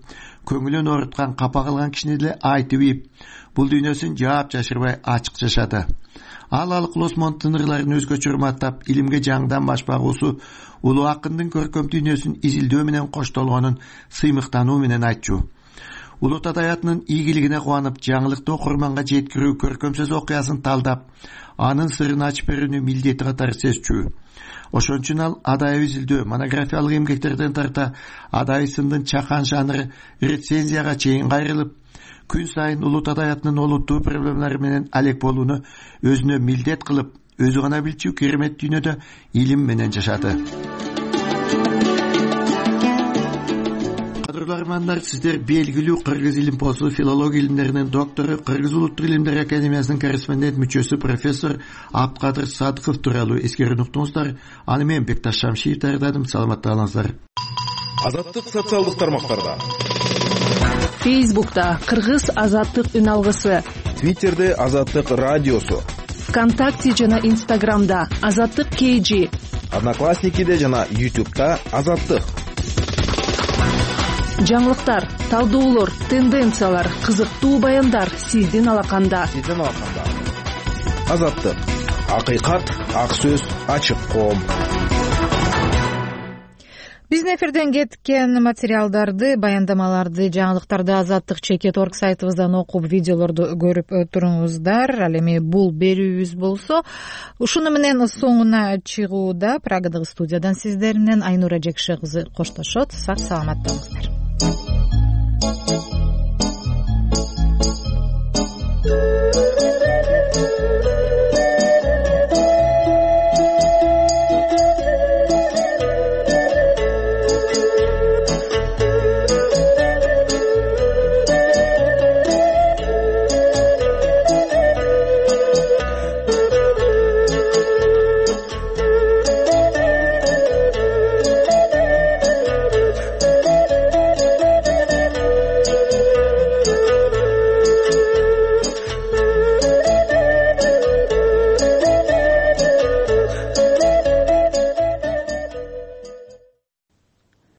көңүлүн ооруткан, капа кылган кишини деле айтып ийип, бул дүйнөсүн жаап жашырбай ачык жашады. Ал Алык Лосмонттун ырларын өзгөчө урматтап, илимге жаңыдан баш багуусу улуу акындын көркөм дүйнөсүн изилдөө менен коштолгонун сыймыктануу менен айтчу. Улут адабиятынын ийгилигине кубанып, жаңылыкты окурманга жеткирүү, көркөм сөз окуясын талдап, анын сырын ачып берүүнү милдети катары сезчү. Ошон үчүн ал адабий изилдөө, монографиялык эмгектерден тарта адабий сындын чакан жанры рецензияга чейин кайрылып, күн сайын улут адабиятынын олуттуу проблемалары менен алек болууну өзүнө милдет кылып, өзү гана билчү керемет дүйнөдө илим менен жашады. угармандар, сиздер белгилүү кыргыз илимпозу, филология илимдеринин доктору, Кыргыз улуттук илимдер академиясынын корреспондент мүчөсү профессор Абткадыр Садыков тууралуу эскерүүнү уктуңуздар. Аны мен Бекташ Шамшиев даярдадым. Саламатта калыңыздар. Азаттык социалдык тармактарда. Фейсбукта Кыргыз азаттык үн алгысы. Твиттерде Азаттык радиосу. ВКонтакте жана Инстаграмда Азаттык KG. Одноклассникиде жана YouTube'да Азаттык. Жаңылыктар, талдоолор, тенденциялар, кызыктуу баяндар сиздин алаканда. Азаттык. Акыйкат, ак сөз, ачык коом. Биздин эфирден кеткен материалдарды, баяндамаларды, жаңылыктарды azattik.org сайтыбыздан окуп, видеолорду көрүп туруңуздар. Ал эми бул берүүбүз болсо, ушуну менен соңуна чыгууда Прагадагы студиядан сиздер менен Айнура Жекше кызы коштошот. Сак саламат болуңуздар.